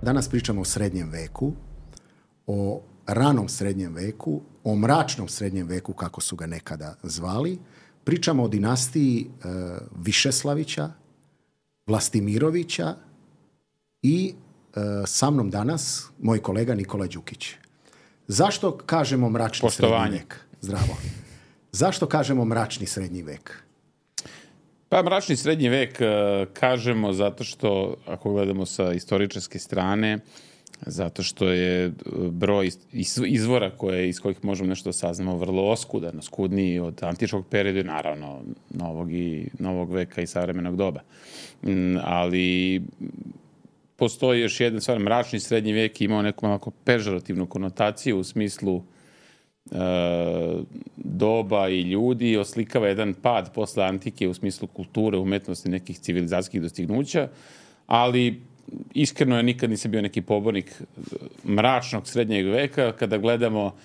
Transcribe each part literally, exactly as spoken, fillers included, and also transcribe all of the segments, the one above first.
Danas pričamo o srednjem veku, o ranom srednjem veku, o mračnom srednjem veku, kako su ga nekada zvali. Pričamo o dinastiji e, Višeslavića, Vlastimirovića i e, sa mnom danas moj kolega Nikola Đukić. Zašto kažemo mračni Poštovanje. srednji vek? Zdravo. Zašto kažemo mračni srednji vek? Pa mračni srednji vek kažemo zato što, ako gledamo sa istoričarske strane, zato što je broj izvora koje, iz kojih možemo nešto saznamo vrlo oskudan, skudniji od antičkog perioda i naravno novog, i, novog veka i savremenog doba. Ali postoji još jedan stvar, mračni srednji vek imao neku malako pežorativnu konotaciju u smislu e, doba i ljudi, oslikava jedan pad posle antike u smislu kulture, umetnosti, nekih civilizacijskih dostignuća, ali iskreno ja nikad nisam bio neki pobornik mračnog srednjeg veka. Kada gledamo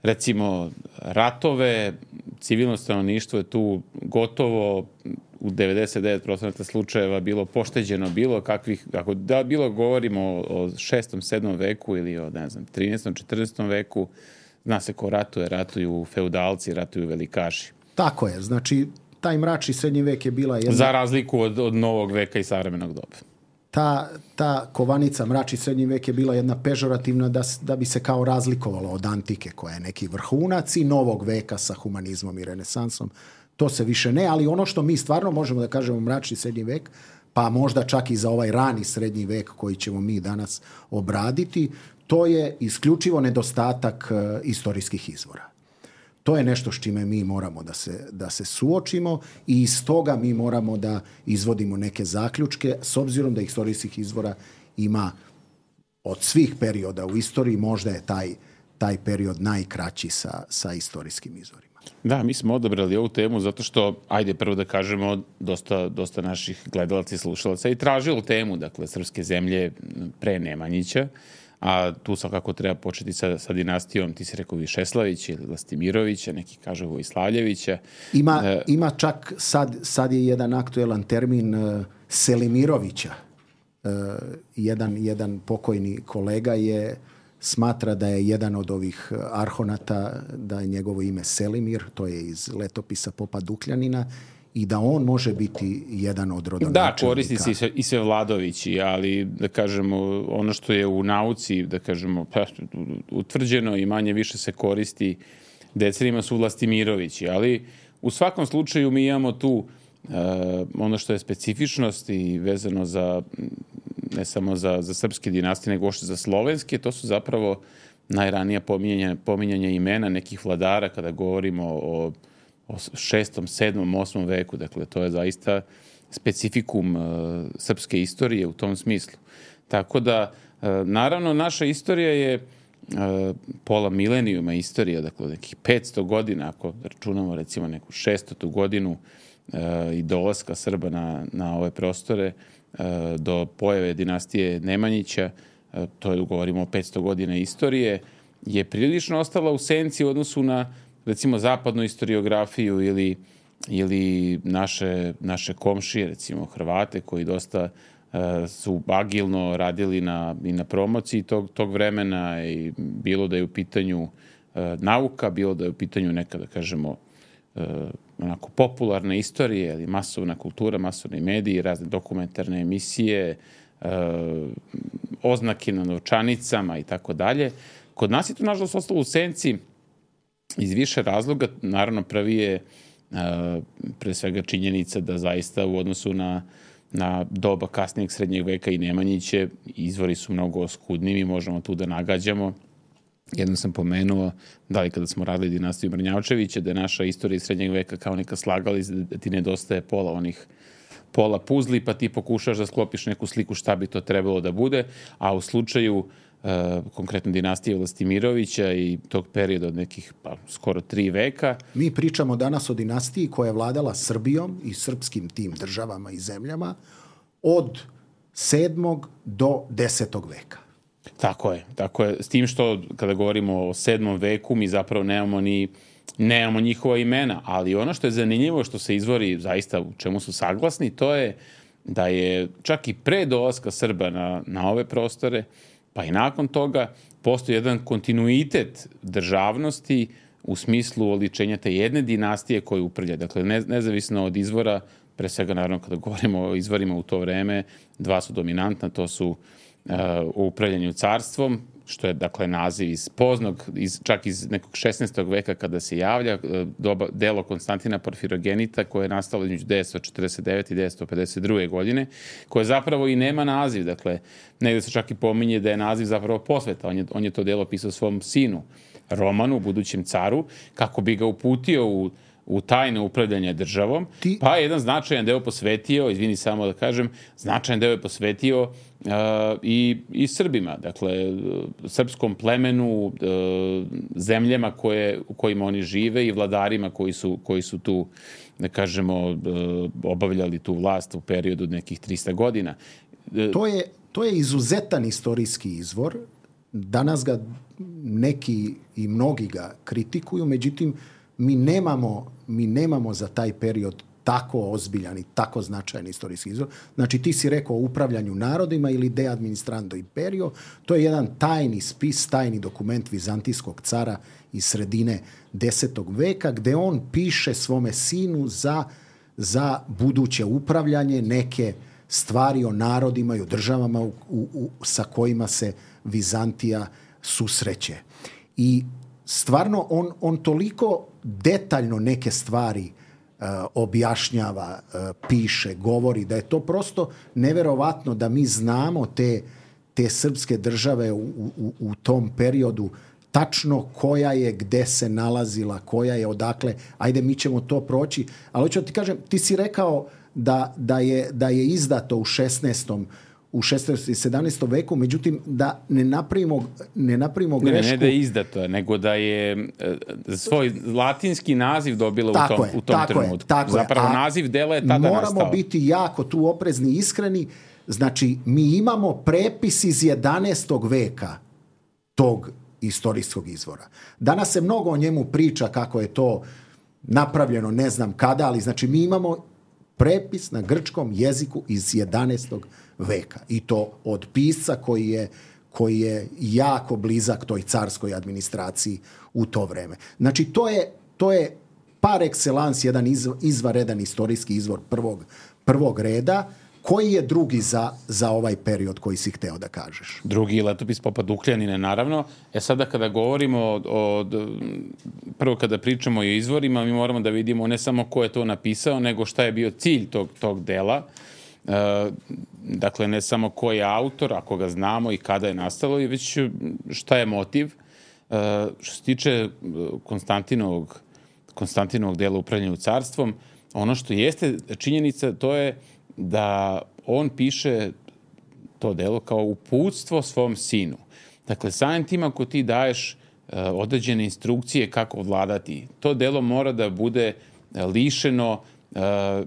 recimo ratove, civilno stanovništvo je tu gotovo u devedeset devet posto slučajeva bilo pošteđeno bilo kakvih, ako da bilo govorimo o šestom, sedmom veku ili o, ne znam, trinaestom, četrnaestom veku, zna se ko ratuje, ratuju feudalci, ratuju velikaši. Tako je, znači taj mračni srednji vek je bila jedna... Za razliku od, od novog veka i savremenog doba. Ta, ta kovanica mračni srednji vek je bila jedna pežorativna da, da bi se kao razlikovalo od antike koja je neki vrhunac i novog veka sa humanizmom i renesansom. To se više ne, ali ono što mi stvarno možemo da kažemo mračni srednji vek, pa možda čak i za ovaj rani srednji vek koji ćemo mi danas obraditi, to je isključivo nedostatak uh, istorijskih izvora. To je nešto s čime mi moramo da se, da se suočimo i iz toga mi moramo da izvodimo neke zaključke, s obzirom da istorijskih izvora ima od svih perioda u istoriji, možda je taj, taj period najkraći sa, sa istorijskim izvorima. Da, mi smo odabrali ovu temu zato što, ajde prvo da kažemo, dosta, dosta naših gledalaca i slušalaca i tražilo temu, dakle, srpske zemlje pre Nemanjića, a tu svakako treba početi sa, sa dinastijom, ti si rekao Višeslavića ili Vlastimirovića, neki kažu Vojslavljevića. Ima, e, ima čak, sad, sad je jedan aktuelan termin uh, Selimirovića. Uh, jedan, jedan pokojni kolega je smatra da je jedan od ovih arhonata, da je njegovo ime Selimir, to je iz letopisa popa Dukljanina, i da on može biti jedan od rodonačelnika. Da, koristi se i sve, i sve Vladovići, ali da kažemo, ono što je u nauci, da kažemo, utvrđeno i manje više se koristi decenijima su Vlastimirovići, ali u svakom slučaju mi imamo tu uh, ono što je specifičnost i vezano za, ne samo za, za srpske dinastije, nego ošte za slovenske, to su zapravo najranija pominjanja, pominjanja imena nekih vladara kada govorimo o o šestom, sedmom, osmom veku. Dakle, to je zaista specifikum uh, srpske istorije u tom smislu. Tako da, uh, naravno, naša istorija je uh, pola milenijuma istorija, dakle, nekih petsto godina, ako računamo recimo neku šestotu godinu uh, i dolaska Srba na, na ove prostore uh, do pojave dinastije Nemanjića, uh, to je, govorimo o petsto godina istorije, je prilično ostala u senci u odnosu na recimo zapadnu historiografiju ili, ili naše, naše komšije, recimo Hrvate, koji dosta uh, su agilno radili na, i na promociji tog, tog vremena, i bilo da je u pitanju uh, nauka, bilo da je u pitanju neka, da kažemo, uh, onako popularne istorije, ili masovna kultura, masovni mediji, razne dokumentarne emisije, uh, oznake na novčanicama i tako dalje. Kod nas je to, nažalost, ostalo u senci iz više razloga. Naravno, prvi je uh, pre svega činjenica da zaista u odnosu na, na doba kasnijeg srednjeg veka i Nemanjiće izvori su mnogo oskudniji, mi možemo tu da nagađamo. Jednom sam pomenuo, da li kada smo radili dinastiju Mrnjavčevića, da je naša istorija iz srednjeg veka kao neka slagali, da ti nedostaje pola onih pola puzli, pa ti pokušaš da sklopiš neku sliku šta bi to trebalo da bude, a u slučaju Uh, konkretno dinastije Vlastimirovića i tog perioda od nekih pa, skoro tri veka. Mi pričamo danas o dinastiji koja je vladala Srbijom i srpskim tim državama i zemljama od sedmog do desetog veka. Tako je, tako je. S tim što kada govorimo o sedmom veku mi zapravo nemamo ni nemamo njihova imena, ali ono što je zanimljivo, što se izvori zaista u čemu su saglasni, to je da je čak i pre dolaska Srba na, na ove prostore, pa i nakon toga, postoji jedan kontinuitet državnosti u smislu oličenja te jedne dinastije koju upravlja. Dakle, ne, nezavisno od izvora, pre svega naravno kada govorimo o izvorima u to vreme, dva su dominantna, to su uh, u upravljanju carstvom, što je dakle naziv iz poznog, iz, čak iz nekog šesnaestog veka kada se javlja, doba, delo Konstantina Porfirogenita koje je nastalo između devetsto četrdeset devete i devetsto pedeset druge godine, koje zapravo i nema naziv, dakle negde se čak i pominje da je naziv zapravo posveta, on je, on je to delo pisao svom sinu, Romanu, budućem caru, kako bi ga uputio u u tajno upravljanje državom, Ti... pa jedan značajan deo posvetio, izvini samo da kažem, značajan deo je posvetio uh, i, i Srbima, dakle, srpskom plemenu, uh, zemljama koje, u kojima oni žive i vladarima koji su, koji su tu, da kažemo, uh, obavljali tu vlast u periodu nekih trista godina. To je, to je izuzetan istorijski izvor. Danas ga neki i mnogi ga kritikuju, međutim, mi nemamo, mi nemamo za taj period tako ozbiljan i tako značajan istorijski izvor. Znači, ti si rekao o upravljanju narodima ili de administrando imperio. To je jedan tajni spis, tajni dokument vizantijskog cara iz sredine desetog veka, gde on piše svome sinu za, za buduće upravljanje neke stvari o narodima i o državama u, u, u, sa kojima se Vizantija susreće. I stvarno, on, on toliko detaljno neke stvari uh, objašnjava, uh, piše, govori, da je to prosto neverovatno da mi znamo te, te srpske države u, u, u tom periodu, tačno koja je, gde se nalazila, koja je, odakle. Ajde, mi ćemo to proći. Ali hoću da ti kažem, ti si rekao da, da, je, da je izdato u šesnaestom u šesnaestom i sedamnaestom veku, međutim, da ne napravimo, ne napravimo grešku... Ne, ne da je izdato, nego da je svoj latinski naziv dobila tako u tom, je, u tom tako trenutku. Je, tako Zapravo je. naziv dela je tada moramo nastao. Moramo biti jako tu oprezni i iskreni. Znači, mi imamo prepis iz jedanaestog veka tog istorijskog izvora. Danas se mnogo o njemu priča kako je to napravljeno, ne znam kada, ali znači mi imamo prepis na grčkom jeziku iz jedanaestog veka. I to od pisca koji je, koji je jako blizak toj carskoj administraciji u to vreme. Znači, to je, to je par excellence jedan izvanredan istorijski izvor prvog, prvog reda. Koji je drugi za, za ovaj period koji si hteo da kažeš? Drugi je letopis Popa Dukljanine, naravno. E sada kada govorimo o, o, prvo kada pričamo o izvorima, mi moramo da vidimo ne samo ko je to napisao, nego šta je bio cilj tog, tog dela. E, dakle, ne samo ko je autor, ako ga znamo i kada je nastalo, i već šta je motiv. E, što se tiče Konstantinovog, Konstantinovog dela upravljanja carstvom, ono što jeste činjenica, to je da on piše to delo kao uputstvo svom sinu. Dakle, samim tim ako ti daješ uh, određene instrukcije kako vladati, to delo mora da bude uh, lišeno uh,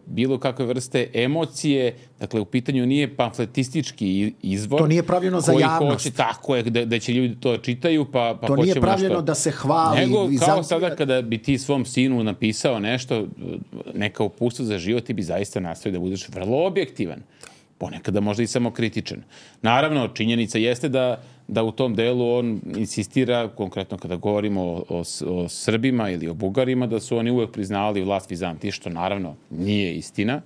bilo kakve vrste emocije, dakle, u pitanju nije pamfletistički izvor. To nije pravljeno za javnost. Hoće, tako je, da, da će ljudi to čitaju, pa, pa to nije pravljeno nešto. Da se hvali. Nego, Vizantija... kao sada kada bi ti svom sinu napisao nešto, neka uputstva za život, ti bi zaista nastavio da budeš vrlo objektivan. Ponekada možda i samo kritičan. Naravno, činjenica jeste da, da u tom delu on insistira, konkretno kada govorimo o, o, o Srbima ili o Bugarima, da su oni uvek priznavali vlast Vizantije, što naravno nije istina.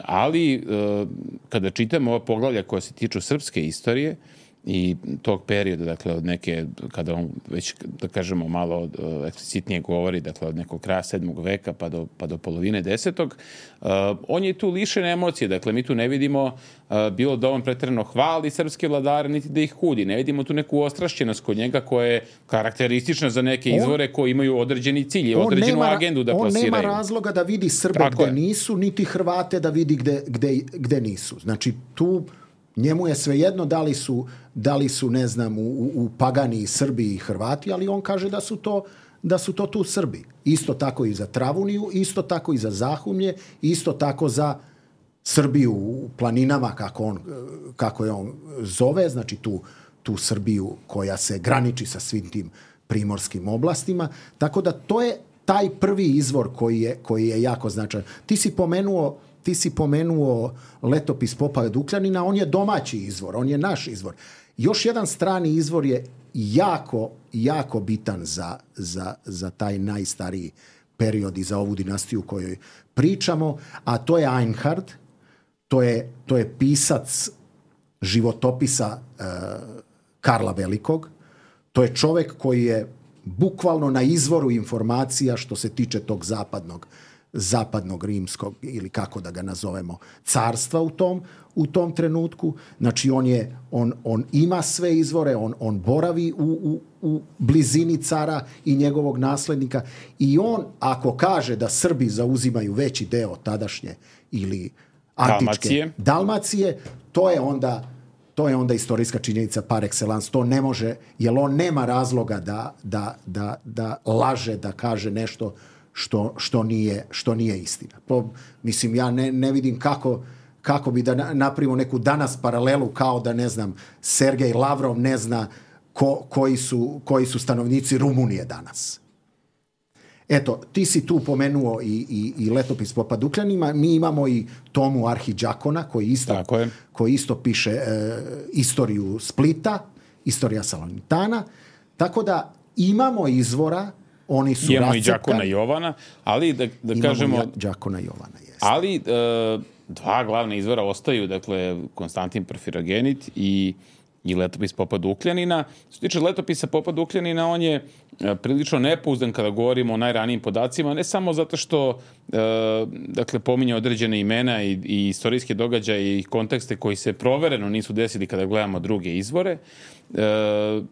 Ali kada čitamo ova poglavlja koja se tiču srpske istorije i tog perioda, dakle od neke, kada on već, da kažemo, malo eksplicitnije govori, dakle od nekog kraja sedmog veka pa do, pa do polovine desetog, uh, on je tu lišen emocije, dakle mi tu ne vidimo uh, bilo da on pretjerano hvali srpske vladare, niti da ih kudi, ne vidimo tu neku ostrašćenost kod njega koja je karakteristična za neke izvore on, koji imaju određeni cilj i određenu nema, agendu da on plasiraju. On nema razloga da vidi Srbe Tako gde je. nisu, niti Hrvate da vidi gde, gde, gde nisu. Znači tu njemu je svejedno da li su, da li su ne znam, u, u Pagani Srbi i Hrvati, ali on kaže da su to, da su to tu Srbi. Isto tako i za Travuniju, isto tako i za Zahumlje, isto tako za Srbiju u planinama, kako, on, kako je on zove, znači tu, tu Srbiju koja se graniči sa svim tim primorskim oblastima. Tako da to je taj prvi izvor koji je, koji je jako značajan. Ti si pomenuo ti si pomenuo letopis popa Dukljanina, on je domaći izvor, on je naš izvor. Još jedan strani izvor je jako, jako bitan za, za, za taj najstariji period i za ovu dinastiju kojoj pričamo, a to je Einhard, to je, to je pisac životopisa e, Karla Velikog, to je čovjek koji je bukvalno na izvoru informacija što se tiče tog zapadnog, zapadnog rimskog, ili kako da ga nazovemo, carstva u tom, u tom trenutku. Znači on, je, on, on ima sve izvore, on, on boravi u, u, u blizini cara i njegovog naslednika i on ako kaže da Srbi zauzimaju veći deo tadašnje ili antičke Dalmacije, Dalmacije to je onda to je onda istorijska činjenica par excellence. To ne može, jer on nema razloga da, da, da, da laže, da kaže nešto što, što, nije, što nije istina. Po, mislim, ja ne, ne vidim kako, kako bi da napravimo neku danas paralelu kao da, ne znam, Sergej Lavrov ne zna ko, koji, su, koji su stanovnici Rumunije danas. Eto, ti si tu pomenuo i, i, i letopis popa Dukljanina, mi imamo i Tomu Arhidžakona koji isto, koji isto piše e, istoriju Splita, istorija Salonitana, tako da imamo izvora, oni su imamo rascepkani. I Đakona Jovana, ali da, da imamo kažemo... Imamo i Đakona Jovana, jeste. Ali e, dva glavna izvora ostaju, dakle, Konstantin Porfirogenit i i letopis popa Dukljanina. Što se tiče letopisa popa Dukljanina, on je e, prilično nepouzdan kada govorimo o najranijim podacima, ne samo zato što e, dakle, pominje određene imena i, i istorijske događaje i kontekste koji se provereno nisu desili kada gledamo druge izvore, e,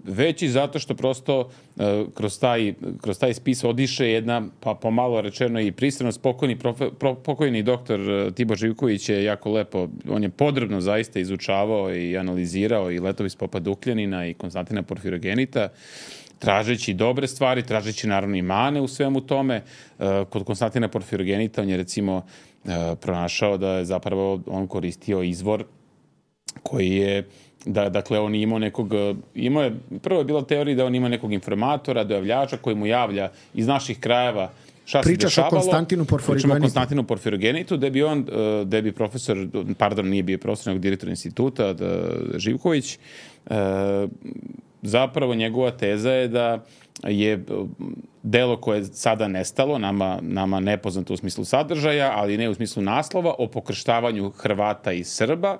već i zato što prosto e, kroz, taj, kroz taj spis odiše jedna, pa pomalo rečeno i pristranost, pokojni, profe, pro, pokojni doktor Tibor Živković je jako lepo, on je podrobno zaista izučavao i analizirao i letopis popa Dukljanina i Konstantina Porfirogenita, tražeći dobre stvari, tražeći naravno i mane u svemu tome. Kod Konstantina Porfirogenita on je recimo pronašao da je zapravo on koristio izvor koji je, da, dakle on imao nekog, imao je, prvo je bila teorija da on ima nekog informatora, dojavljača koji mu javlja iz naših krajeva šta se Pričaš dešavalo. O Konstantinu Porfirogenitu. Pričamo o Konstantinu Porfirogenitu, gde bi on, gde bi profesor, pardon, nije bio profesor, nego direktor instituta, Živković, zapravo njegova teza je da je delo koje je sada nestalo, nama, nama nepoznato u smislu sadržaja, ali ne u smislu naslova, o pokrštavanju Hrvata i Srba,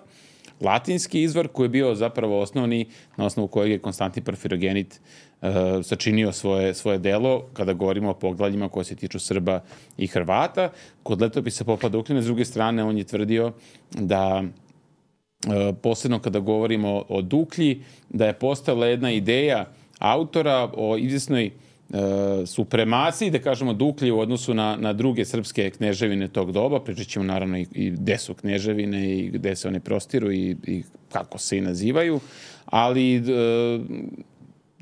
latinski izvor koji je bio zapravo osnovni, na osnovu kojeg je Konstantin Porfirogenit uh, sačinio svoje, svoje delo kada govorimo o poglavljima koje se tiču Srba i Hrvata. Kod letopisa popa Dukljanina, s druge strane, on je tvrdio da uh, posebno kada govorimo o Duklji, da je postojala jedna ideja autora o izvjesnoj Uh, supremaciji, da kažemo, Duklji u odnosu na, na druge srpske kneževine tog doba. Pričat ćemo naravno i, i gde su kneževine i gde se one prostiru i, i kako se i nazivaju, ali uh,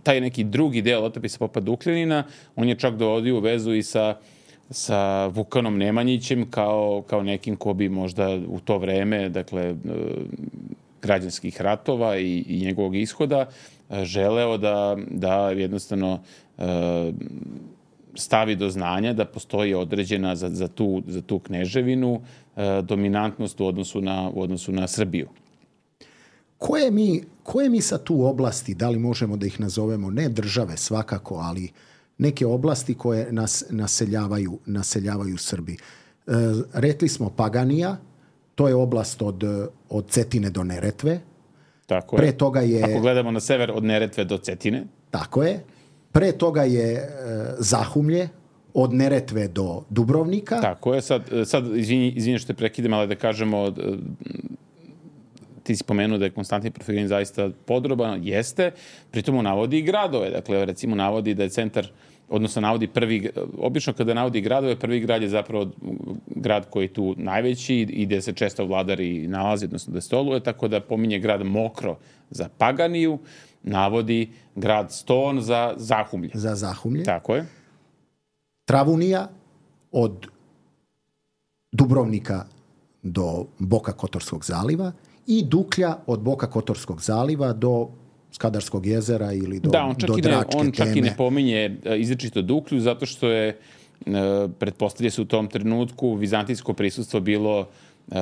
taj neki drugi deo letopisa popa Dukljanina, on je čak dovodio u vezu i sa, sa Vukanom Nemanjićem kao, kao nekim ko bi možda u to vreme, dakle, uh, građanskih ratova i, i njegovog ishoda, želeo da, da jednostavno stavi do znanja da postoji određena za, za, tu, za tu kneževinu dominantnost u odnosu na, u odnosu na Srbiju. Koje mi, koje mi sad tu oblasti, da li možemo da ih nazovemo, ne države svakako, ali neke oblasti koje nas naseljavaju, naseljavaju Srbi? E, rekli smo Paganija, to je oblast od, od Cetine do Neretve. Tako Pre je. toga je... Ako gledamo na sever od Neretve do Cetine. Tako je. Pre toga je e, Zahumlje, od Neretve do Dubrovnika. Tako je. Sad, sad izvini, izvini što te prekidem, ali da kažemo, ti si pomenuo da je Konstantin Porfirogenit zaista podroban, jeste, pritom navodi i gradove. Dakle, recimo navodi da je centar, odnosno navodi prvi, obično kada navodi gradove, prvi grad je zapravo grad koji je tu najveći i gde se često vladari nalazi, odnosno da stoluje, tako da pominje grad Mokro za Paganiju, navodi grad Ston za Zahumlje. Za Zahumlje. Tako je. Travunija od Dubrovnika do Boka Kotorskog zaliva i Duklja od Boka Kotorskog zaliva do Skadarskog jezera ili do, da, on čak, do i ne, Dračke on čak teme. i ne pominje izričito Duklju, zato što je, pretpostavlja se u tom trenutku, vizantijsko prisustvo bilo Uh,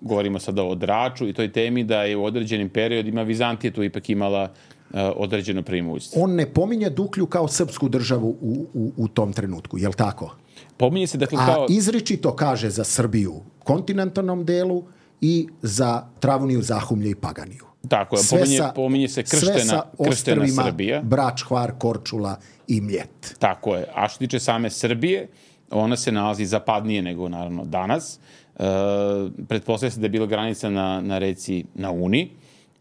govorimo sada o Draču i toj temi da je u određenim periodima Vizantija tu ipak imala uh, određeno preimoćstvo. On ne pominje Duklju kao srpsku državu u, u, u tom trenutku, je li tako? Pominje se dakle kao... A izričito kaže za Srbiju kontinentalnom delu i za Travuniju, Zahumlje i Paganiju. Tako je, pominje, pominje se krštena, krštena Srbija. Brač, Hvar, Korčula i Mljet. Tako je. A što tiče same Srbije, ona se nalazi zapadnije nego naravno danas. Uh, pretpostavlja se da je bila granica na, na reci na Uni.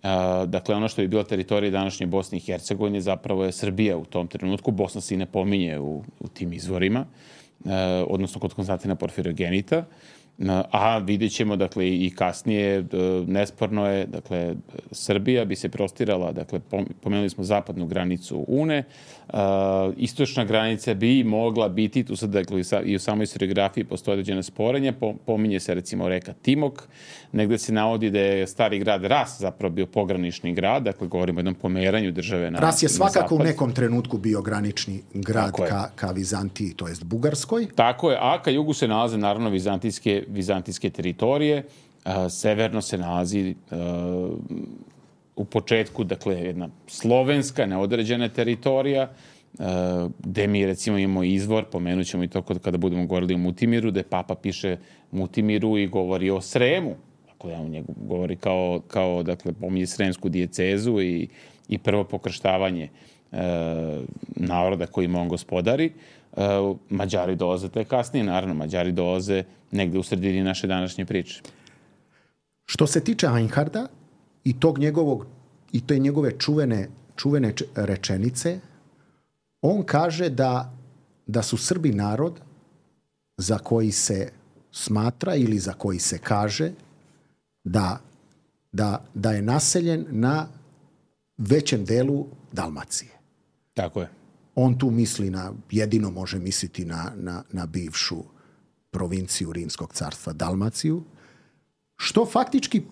Uh, dakle, ono što je bila teritorija današnje Bosne i Hercegovine zapravo je Srbija u tom trenutku. Bosna se i ne pominje u, u tim izvorima, uh, odnosno kod Konstantina Porfirogenita. A vidjet ćemo, dakle, i kasnije, nesporno je, dakle, Srbija bi se prostirala, dakle, pomenuli smo zapadnu granicu Une, istočna granica bi mogla biti, tu sad, dakle, i u samoj historiografiji postoje određene sporenja, pominje se, recimo, reka Timok, negde se navodi da je stari grad Ras zapravo bio pogranični grad, dakle, govorimo o jednom pomeranju države na zapad. Ras je svakako u nekom trenutku bio granični grad ka, ka Vizantiji, to jest Bugarskoj. Tako je, a ka jugu se nalaze, naravno, vizantijske vizantijske teritorije. A, severno se nalazi a, u početku, dakle, jedna slovenska, neodređena teritorija, a, gde mi, recimo, imamo izvor, pomenut ćemo i to kada budemo govorili o Mutimiru, gde Papa piše Mutimiru i govori o Sremu. Dakle, on njegu govori kao, kao dakle, pominje Sremsku dijecezu i, i prvo pokrštavanje a, naroda kojima on gospodari. Uh, Mađari dolaze te kasnije, naravno, Mađari dolaze negde u sredini naše današnje priče. Što se tiče Einharda i tog njegovog, i te njegove čuvene, čuvene rečenice, on kaže da, da su Srbi narod za koji se smatra ili za koji se kaže da, da, da je naseljen na većem delu Dalmacije. Tako je. On tu misli na, jedino može misliti na, na, na bivšu provinciju Rimskog carstva Dalmaciju, što faktički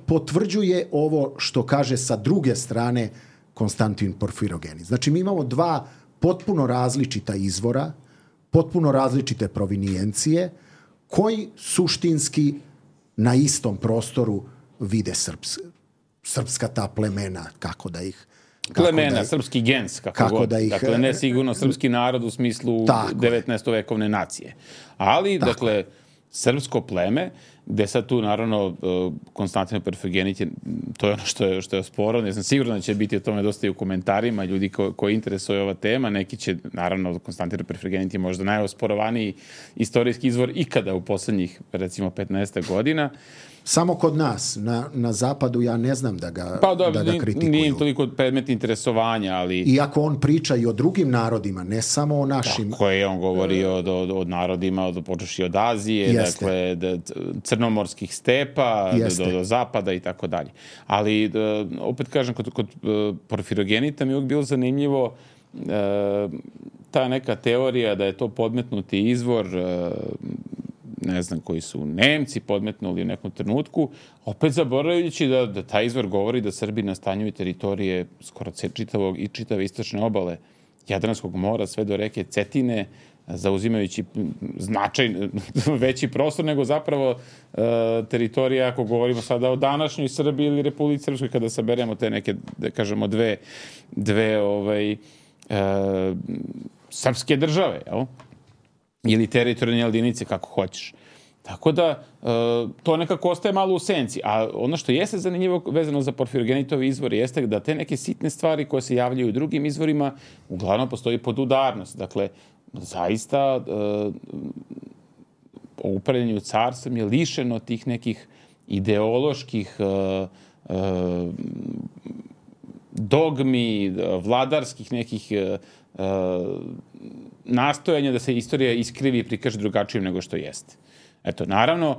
potvrđuje ovo što kaže sa druge strane Konstantin Porfirogenit. Znači, mi imamo dva potpuno različita izvora, potpuno različite provinijencije, koji suštinski na istom prostoru vide srps, srpska ta plemena, kako da ih plemena, da, srpski gens, kako, kako god. Da ih, dakle, ne sigurno srpski narod u smislu devetnaestovekovne nacije. Ali, tako, dakle, srpsko pleme, gde sad tu, naravno, Konstantin Porfirogenit je, to je ono što je, što je osporano. Ja sam siguran da će biti o tome dosta i u komentarima ljudi ko, koji interesuje ova tema. Neki će, naravno, Konstantin Porfirogenit je možda najosporovaniji istorijski izvor ikada u poslednjih, recimo, petnaest godina. Samo kod nas, na, na zapadu, ja ne znam da ga, pa, da, da ga kritikuju. Nije toliko predmet interesovanja, ali... Iako on priča i o drugim narodima, ne samo o našim... Tako je, on govori o, o, o narodima, od, počeši od Azije, jeste, dakle, da, crnomorskih stepa, do, do zapada i tako dalje. Ali, da, opet kažem, kod, kod Porfirogenita mi je uvijek bilo zanimljivo e, ta neka teorija da je to podmetnuti izvor... E, ne znam, koji su Nemci podmetnuli u nekom trenutku, opet zaboravljajući da, da taj izvor govori da Srbi nastanjuju teritorije skoro čitavog i čitave istočne obale Jadranskog mora, sve do reke Cetine, zauzimajući značaj, veći prostor nego zapravo e, teritorija, ako govorimo sada o današnjoj Srbiji ili Republici Srpskoj, kada saberemo te neke, da kažemo, dve, dve ovaj, e, srpske države, jel? Ili teritorijalne jedinice, kako hoćeš. Tako da, e, to nekako ostaje malo u senci. A ono što jeste zanimljivo vezano za Porfirogenitove izvore jeste da te neke sitne stvari koje se javljaju u drugim izvorima, uglavnom postoji podudarnost. Dakle, zaista e, o upravljanju carstvom je lišeno tih nekih ideoloških e, e, dogmi, vladarskih nekih e, nastojanja da se istorija iskrivi i prikaže drugačijim nego što jeste. Eto, naravno,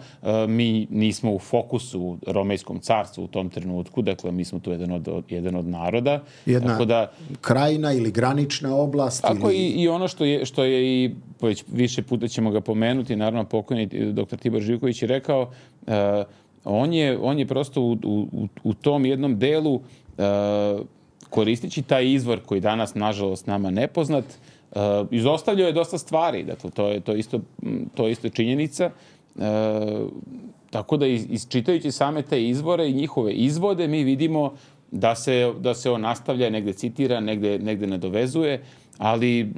mi nismo u fokusu Romejskom carstvu u tom trenutku, dakle, mi smo tu jedan od, jedan od naroda. Jedna tako da, krajina ili granična oblast. Tako ili... i, i ono što je, što je i, već više puta ćemo ga pomenuti, naravno, pokojni doktor Tibor Živković je rekao, uh, on, je, on je prosto u, u, u tom jednom delu uh, koristeći taj izvor koji danas, nažalost, nama nepoznat, Uh, izostavljao je dosta stvari, dakle, to je, to isto, to isto činjenica tako da isčitajući same te izvore i njihove izvode mi vidimo da se, da se on nastavlja, negde citira, negde, negde nadovezuje, ali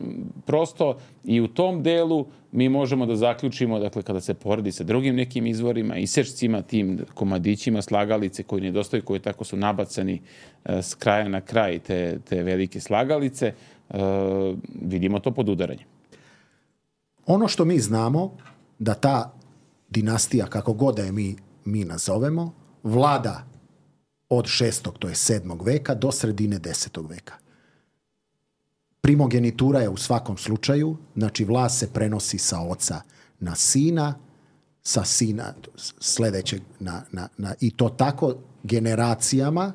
prosto i u tom delu mi možemo da zaključimo, dakle, kada se poredi sa drugim nekim izvorima, isečcima, tim komadićima slagalice koji nedostaju, koji tako su nabacani s kraja na kraj te, te velike slagalice, vidimo to podudaranje. Ono što mi znamo, da ta dinastija, kako god da je mi, mi nazovemo, vlada od šestog, to je sedmog veka, do sredine desetog veka. Primogenitura je u svakom slučaju, znači vlast se prenosi sa oca na sina, sa sina sledećeg na, na, na, i to tako generacijama.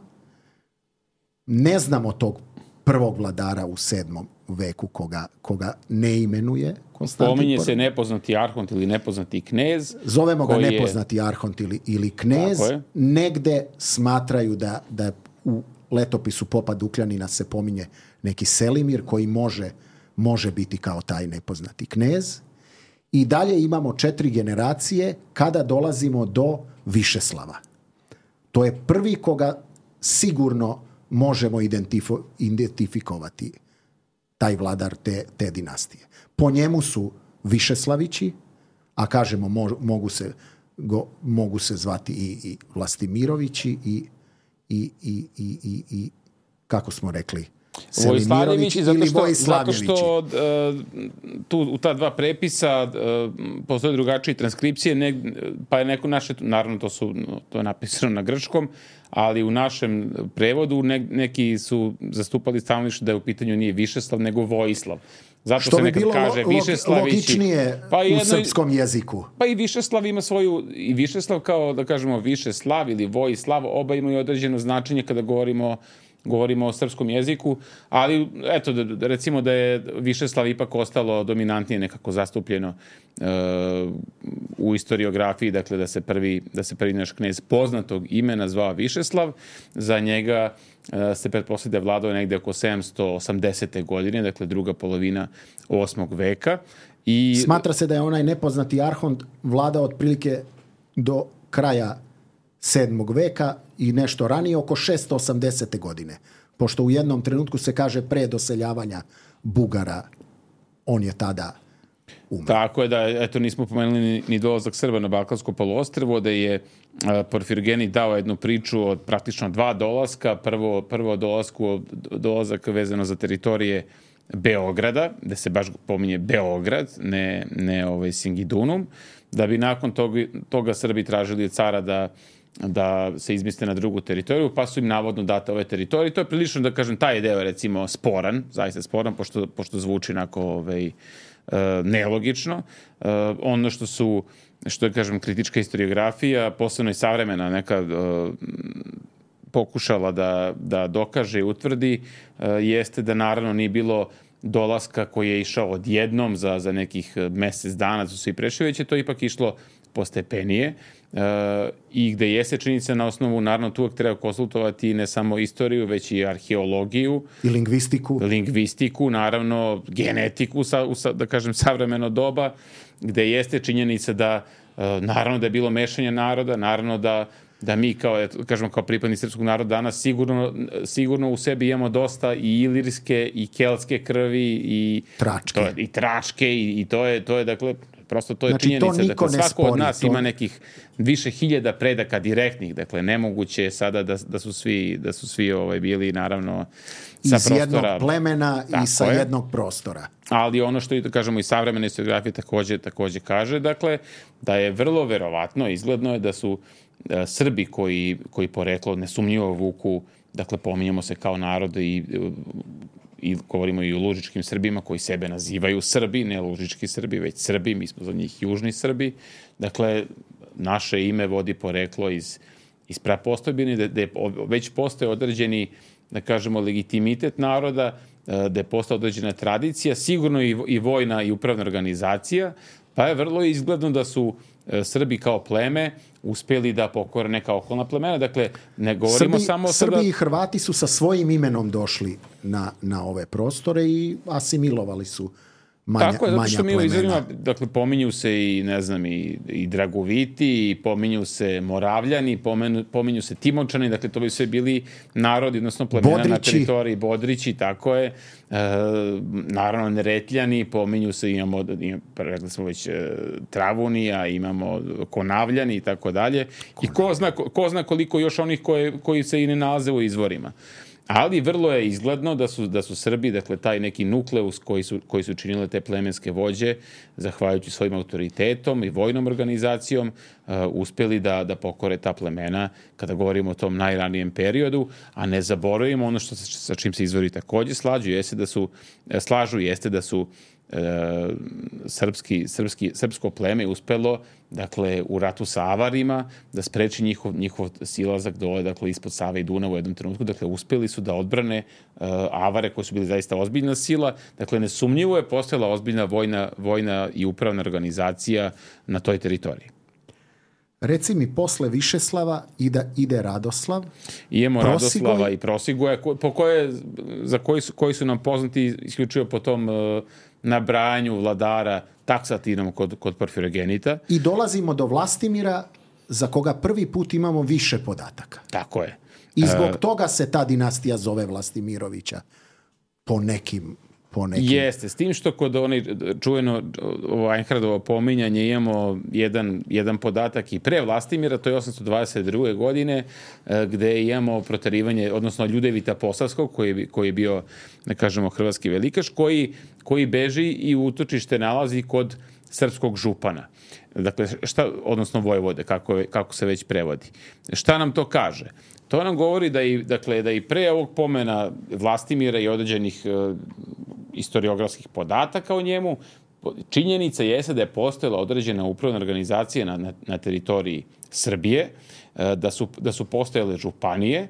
Ne znamo tog prvog vladara u sedmom veku koga, koga ne imenuje Konstantin. Pominje se nepoznati arhont ili nepoznati knez. Zovemo ga nepoznati je... arhont ili, ili knez. Negde smatraju da, da u letopisu Popa Dukljanina se pominje neki Selimir koji može, može biti kao taj nepoznati knez. I dalje imamo četiri generacije kada dolazimo do Višeslava. To je prvi koga sigurno možemo identifo, identifikovati, taj vladar te, te dinastije. Po njemu su Višeslavići, a kažemo mo, mogu, se, go, mogu se zvati i, i Vlastimirovići i, i, i, i, i, i kako smo rekli, Vojslavljevići, zato što, zato što uh, tu u ta dva prepisa uh, postoje drugačije transkripcije, ne, pa je neko naše, naravno to su to je napisano na grčkom, ali u našem prevodu ne, neki su zastupali stanovište da je u pitanju nije Višeslav, nego Vojislav. Zato što se nekad bi bilo kaže lo, Višeslavići, logičnije pa jedno, u srpskom jeziku. Pa i Višeslav ima svoju, i Višeslav kao da kažemo Višeslav ili Vojislav, oba imaju određeno značenje kada govorimo govorimo o srpskom jeziku, ali eto, da, recimo da je Višeslav ipak ostalo dominantnije nekako zastupljeno uh, u istoriografiji, dakle da se prvi, da se prvi naš knez poznatog imena zvao Višeslav, za njega uh, se pretpostavlja da je vladao negde oko sedamsto osamdesete godine, dakle druga polovina osmog veka. I smatra se da je onaj nepoznati arhont vladao otprilike do kraja sedmog veka i nešto ranije, oko šesto osamdesete godine. Pošto u jednom trenutku se kaže pre doseljavanja Bugara, on je tada umro. Tako je da, eto, nismo pomenuli ni, ni dolazak Srba na Balkansko poluostrvo, da je a, Porfirogeni dao jednu priču od praktično dva dolaska. Prvo, prvo dolasku, dolazak vezano za teritorije Beograda, da se baš pominje Beograd, ne, ne ovaj Singidunum, da bi nakon toga, toga Srbi tražili od cara da da se izmiste na drugu teritoriju, pa su im navodno date ove teritorije. To je prilično, da kažem, taj deo recimo sporan, zaista sporan, pošto, pošto zvuči onako ovaj, uh, nelogično. Uh, ono što su, što je, kažem, kritička historiografija, posebno i savremena neka uh, pokušala da, da dokaže i utvrdi, uh, jeste da naravno nije bilo dolaska koji je išao odjednom za, za nekih mesec dana, su svi prešli, već je to ipak išlo postepenije. Uh, i gde jeste činjenica na osnovu, naravno tu uvek treba konsultovati ne samo istoriju, već i arheologiju. I lingvistiku. Lingvistiku, naravno genetiku, sa, u, da kažem, savremeno doba, gde jeste činjenica da, uh, naravno da je bilo mešanje naroda, naravno da, da mi kao, kažemo, kao pripadni srpskog naroda danas sigurno, sigurno u sebi imamo dosta i ilirske i keltske krvi i tračke, to, i tračke i, i to je, to je, dakle, prosto to je znači, činjenica. Dakle, svako spori, od nas to... ima nekih više hiljada predaka direktnih. Dakle, nemoguće je sada da, da su svi, da su svi ovaj, bili, naravno, sa iz prostora. Iz jednog plemena tako i sa je. jednog prostora. Ali ono što, da kažemo, i savremena historiografija takođe, takođe kaže, dakle, da je vrlo verovatno, izgledno je da su uh, Srbi koji, koji poreklo nesumnjivo vuku, dakle, pominjamo se kao narod i uh, i govorimo i o lužičkim Srbima koji sebe nazivaju Srbi, ne lužički Srbi, već Srbi, mi smo za njih južni Srbi. Dakle, naše ime vodi poreklo iz, iz prapostojbine, da, da već postoje određeni, da kažemo, legitimitet naroda, da je postala određena tradicija, sigurno i, i vojna i upravna organizacija, pa je vrlo izgledno da su Srbi kao pleme uspeli da pokore neka okolna plemena. Dakle, ne govorimo Srbi, samo... Srbi sada... i Hrvati su sa svojim imenom došli na, na ove prostore i asimilovali su manja, tako je, zato što mi u izvorima, plemena. dakle, pominju se i, ne znam, i, i Dragoviti, i pominju se Moravljani, pomenu, pominju se Timočani, dakle, to bi sve bili narodi, odnosno plemena Bodrići. na teritoriji Bodrići, tako je. E, naravno, Neretljani, pominju se, imamo, imamo rekli smo već, e, Travunija, imamo Konavljani i tako dalje. I ko zna, ko, ko zna koliko još onih koje, koji se i ne nalaze u izvorima. Ali vrlo je izgledno da su, da su Srbi, dakle, taj neki nukleus koji su, koji su činile te plemenske vođe, zahvaljujući svojim autoritetom i vojnom organizacijom, uh, uspjeli da, da pokore ta plemena kada govorimo o tom najranijem periodu, a ne zaboravimo ono što sa čim se izvori takođe slađu, jeste da su, slažu, jeste da su E, srpski, srpski, srpsko pleme uspelo, dakle, u ratu sa Avarima da spreči njihov, njihov silazak dole, dakle, ispod Save i Dunava u jednom trenutku. Dakle, uspeli su da odbrane e, Avare koji su bili zaista ozbiljna sila. Dakle, nesumnjivo je postojala ozbiljna vojna, vojna i upravna organizacija na toj teritoriji. Reci mi, posle Višeslava ide, ide Radoslav. I imamo Prosigoj. Radoslava i Prosigoja, ko, po koje, za koji su, koji su nam poznati isključivo po tom uh, nabrajanju vladara taksativnom kod, kod Porfirogenita. I dolazimo do Vlastimira, za koga prvi put imamo više podataka. Tako je. I zbog uh, toga se ta dinastija zove Vlastimirovića po nekim... Po nekim... Jeste, s tim što kod onaj čuveno Einhardovo pominjanje imamo jedan, jedan podatak i pre Vlastimira, to je osamsto dvadeset druge godine, gde imamo proterivanje, odnosno Ljudevita Posavskog, koji, koji je bio, ne kažemo, hrvatski velikaš, koji, koji beži i utočište nalazi kod srpskog župana. Dakle, šta, odnosno vojvode, kako, kako se već prevodi. Šta nam to kaže? To nam govori da i, dakle, da i pre ovog pomena Vlastimira i određenih uh, historiografskih podataka o njemu, činjenica jeste da je postojala određena upravna organizacija na, na, na teritoriji Srbije, uh, da, su, da su postojale županije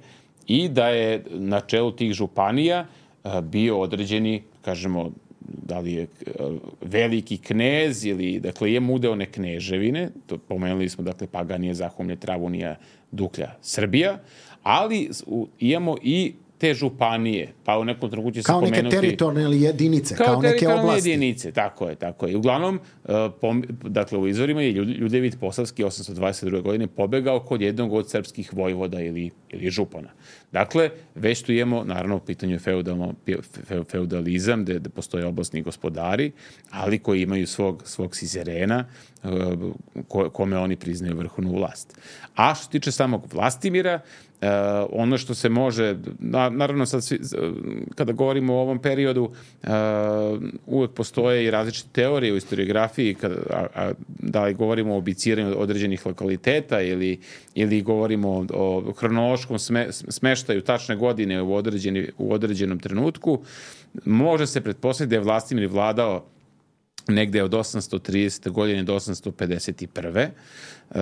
i da je na čelu tih županija uh, bio određeni, kažemo, da li je veliki knez ili, dakle, je mudeone kneževine, to pomenuli smo, dakle, Paganije, Zahumlje, Travunija, Duklja, Srbija, ali imamo i te županije, pa u nekom trenutku će se kao pomenuti... neke teritorijalne jedinice, kao, kao neke oblasti. jedinice, tako je, tako je. Uglavnom, pom, dakle, u izvorima je Ljudevit Posavski osamsto dvadeset druge godine pobegao kod jednog od srpskih vojvoda ili, ili župana. Dakle, već tu imamo, naravno, u pitanju feudalno, feudalizam, gde, gde postoje oblastni gospodari, ali koji imaju svog, svog sizerena, ko, kome oni priznaju vrhovnu vlast. A što se tiče samog Vlastimira, Uh, ono što se može, na, naravno sad svi, kada govorimo o ovom periodu, uh, uvek postoje i različite teorije u historiografiji, kada, a, a, da li govorimo o obiciranju određenih lokaliteta ili, ili govorimo o, o hronološkom sme, smeštaju tačne godine u, određeni, u određenom trenutku, može se pretpostaviti da je Vlastimir vladao negde od osamsto tridesete godine do osamsto pedeset prve. Uh,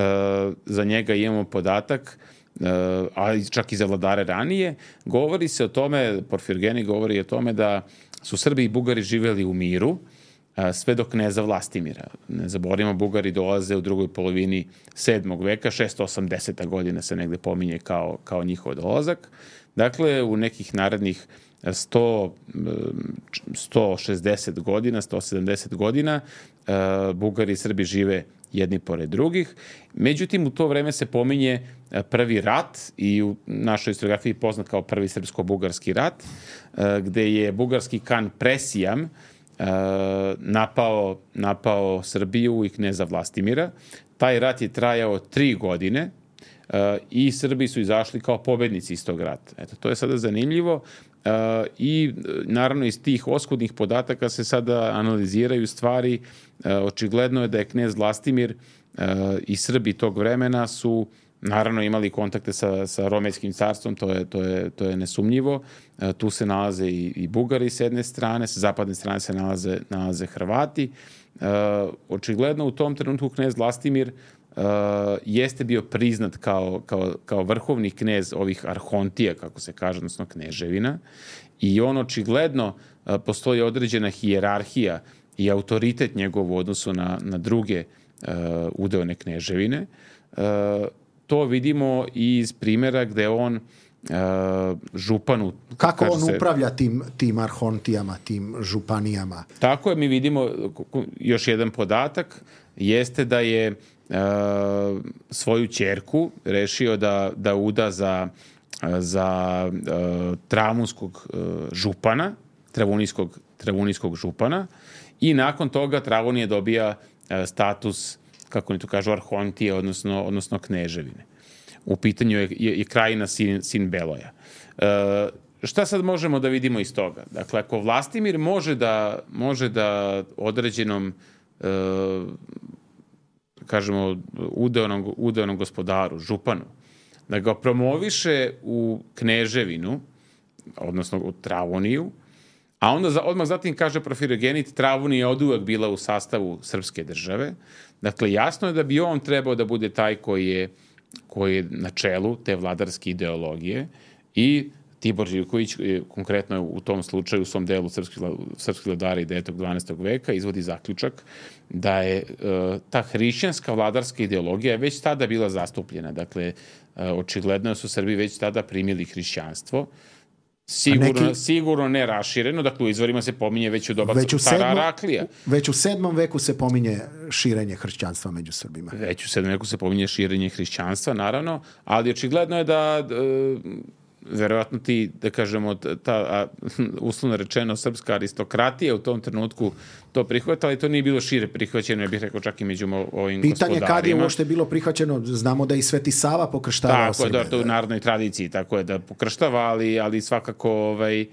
za njega imamo podatak, Uh, ali čak i za vladare ranije, govori se o tome, Porfirogeni govori o tome da su Srbi i Bugari živeli u miru, uh, sve do kneza Vlastimira. Ne zaboravimo, Bugari dolaze u drugoj polovini sedmog veka, šesto osamdeseta godina se negde pominje kao, kao njihov dolazak. Dakle, u nekih narednih sto, sto šezdeset godina, sto sedamdeset godina, uh, Bugari i Srbi žive jedni pored drugih. Međutim, u to vreme se pominje prvi rat i u našoj historiografiji poznat kao prvi srpsko-bugarski rat, gde je bugarski kan Presijam napao, napao Srbiju i kneza Vlastimira. Taj rat je trajao tri godine i Srbi su izašli kao pobednici iz tog rata. Eto, to je sada zanimljivo. Uh, i naravno iz tih oskudnih podataka se sada analiziraju stvari. Uh, očigledno je da je knez Vlastimir uh, i Srbi tog vremena su naravno imali kontakte sa, sa Romejskim carstvom, to je, to je, to je nesumnjivo. Uh, tu se nalaze i, i Bugari s jedne strane, sa zapadne strane se nalaze, nalaze Hrvati. Uh, očigledno u tom trenutku knez Vlastimir Uh, jeste bio priznat kao, kao, kao vrhovni knez ovih arhontija, kako se kaže, odnosno kneževina. I on očigledno uh, postoji određena hijerarhija i autoritet njegov u odnosu na, na druge uh, udeone kneževine. Uh, to vidimo i iz primjera gde on uh, županu. Kako on se, upravlja tim, tim arhontijama, tim županijama? Tako je, mi vidimo još jedan podatak, jeste da je uh, svoju ćerku rešio da, da uda za, za uh, travunskog uh, župana, travunijskog, travunijskog župana, i nakon toga Travunije dobija uh, status, kako oni to kažu, arhontije, odnosno, odnosno kneževine. U pitanju je, je, je krajina sin, sin Beloja. E, šta sad možemo da vidimo iz toga? Dakle, ako Vlastimir može da, može da određenom e, kažemo udeonom, udeonom gospodaru, županu, da ga promoviše u kneževinu, odnosno u Travuniju, a onda za, odmah zatim kaže Porfirogenit, Travunija je od uvek bila u sastavu srpske države. Dakle, jasno je da bi on trebao da bude taj koji je, koji je na čelu te vladarske ideologije, i Tibor Živković, konkretno u tom slučaju, u svom delu srpskih, srpskih vladara i devetog i dvanaestog veka, izvodi zaključak da je uh, ta hrišćanska vladarska ideologija je već tada bila zastupljena. Dakle, uh, očigledno su Srbi već tada primili hrišćanstvo. Sigurno, neki, sigurno ne rašireno, dakle u izvorima se pominje već u doba cara Araklija. Već u sedmom veku se pominje širenje hrišćanstva među Srbima. Već u sedmom veku se pominje širenje hrišćanstva, naravno, ali očigledno je da e, verovatno ti, da kažemo, ta a, uslovno rečeno srpska aristokratija u tom trenutku to prihvatala, i to nije bilo šire prihvaćeno, ja bih rekao čak i među ovim pitanje gospodarima. Pitanje kad je uopšte bilo prihvaćeno, znamo da i Sveti Sava pokrštavao Srbe. Tako je, da, to u narodnoj tradiciji, tako je da pokrštava, ali, ali svakako ovaj,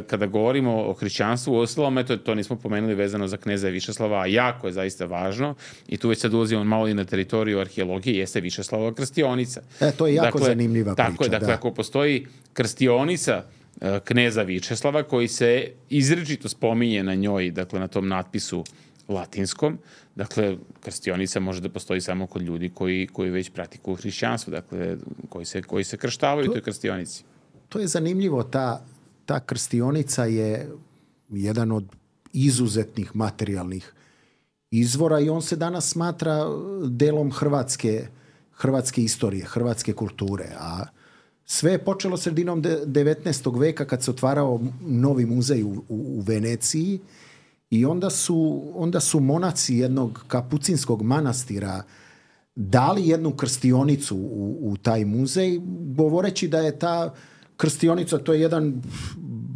kada govorimo o hrišćanstvu, u ostalom, eto, to nismo pomenuli vezano za kneza Višeslava, a jako je zaista važno, i tu već sad ulazimo malo i na teritoriju arheologije, jeste Višeslavova krstionica. E, to je jako dakle, zanimljiva priča. Tako je, dakle, da. ako postoji krstionica kneza Vičeslava, koji se izričito spominje na njoj, dakle, na tom natpisu latinskom, dakle, krstionica može da postoji samo kod ljudi koji, koji već pratikuju hrišćanstvo, dakle, koji se, koji se krštavaju u toj krstionici. To je zanimljivo, ta Ta krstionica je jedan od izuzetnih materijalnih izvora i on se danas smatra delom hrvatske, hrvatske istorije, hrvatske kulture. A sve je počelo sredinom devetnaestog veka kad se otvarao novi muzej u, u, u Veneciji, i onda su, onda su monaci jednog kapucinskog manastira dali jednu krstionicu u, u taj muzej, govoreći da je ta krstionica, to je jedan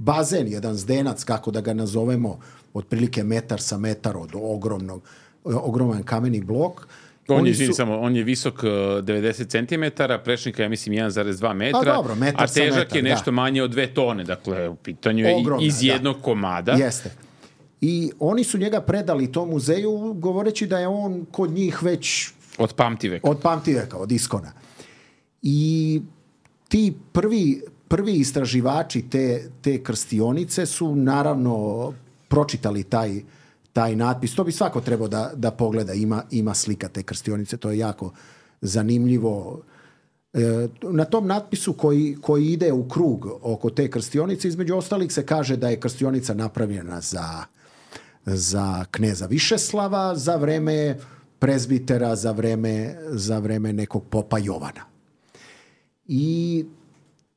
bazen, jedan zdenac, kako da ga nazovemo, otprilike metar sa metar od ogromnog, ogroman kameni blok. On je, su... samo, on je visok devedeset centimetara, prečnika je, mislim, jedan zarez dva metra, a, dobro, metar a težak metar, je nešto da. manje od dve tone, dakle, u pitanju je Ogromna, iz jednog da. komada. Jeste. I oni su njega predali tom muzeju, govoreći da je on kod njih već... Od pamtiveka. Od pamtiveka, od iskona. I ti prvi... Prvi istraživači te, te krstionice su naravno pročitali taj, taj natpis. To bi svako trebao da, da pogleda. Ima, ima slika te krstionice. To je jako zanimljivo. E, na tom natpisu koji, koji ide u krug oko te krstionice, između ostalih se kaže da je krstionica napravljena za, za kneza Višeslava, za vreme prezbitera, za vreme, za vreme nekog popa Jovana. I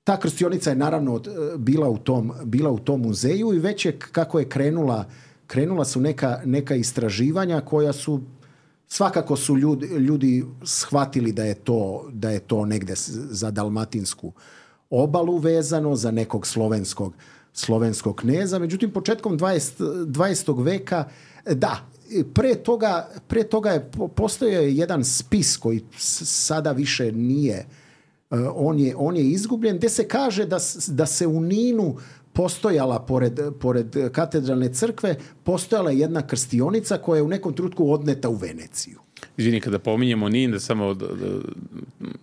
ta krstionica je naravno bila u tom, bila u tom muzeju, i već je kako je krenula, krenula su neka, neka istraživanja koja su, svakako su ljudi, ljudi shvatili da je to, da je to negde za dalmatinsku obalu vezano, za nekog slovenskog, slovenskog kneza. Međutim, početkom dvadesetog veka, da, pre toga, pre toga je postojao jedan spis koji sada više nije, On je, on je izgubljen, gde se kaže da, da se u Ninu postojala, pored, pored katedralne crkve, postojala jedna krstionica koja je u nekom trenutku odneta u Veneciju. Izvini, kada pominjemo Nin, da samo da, da,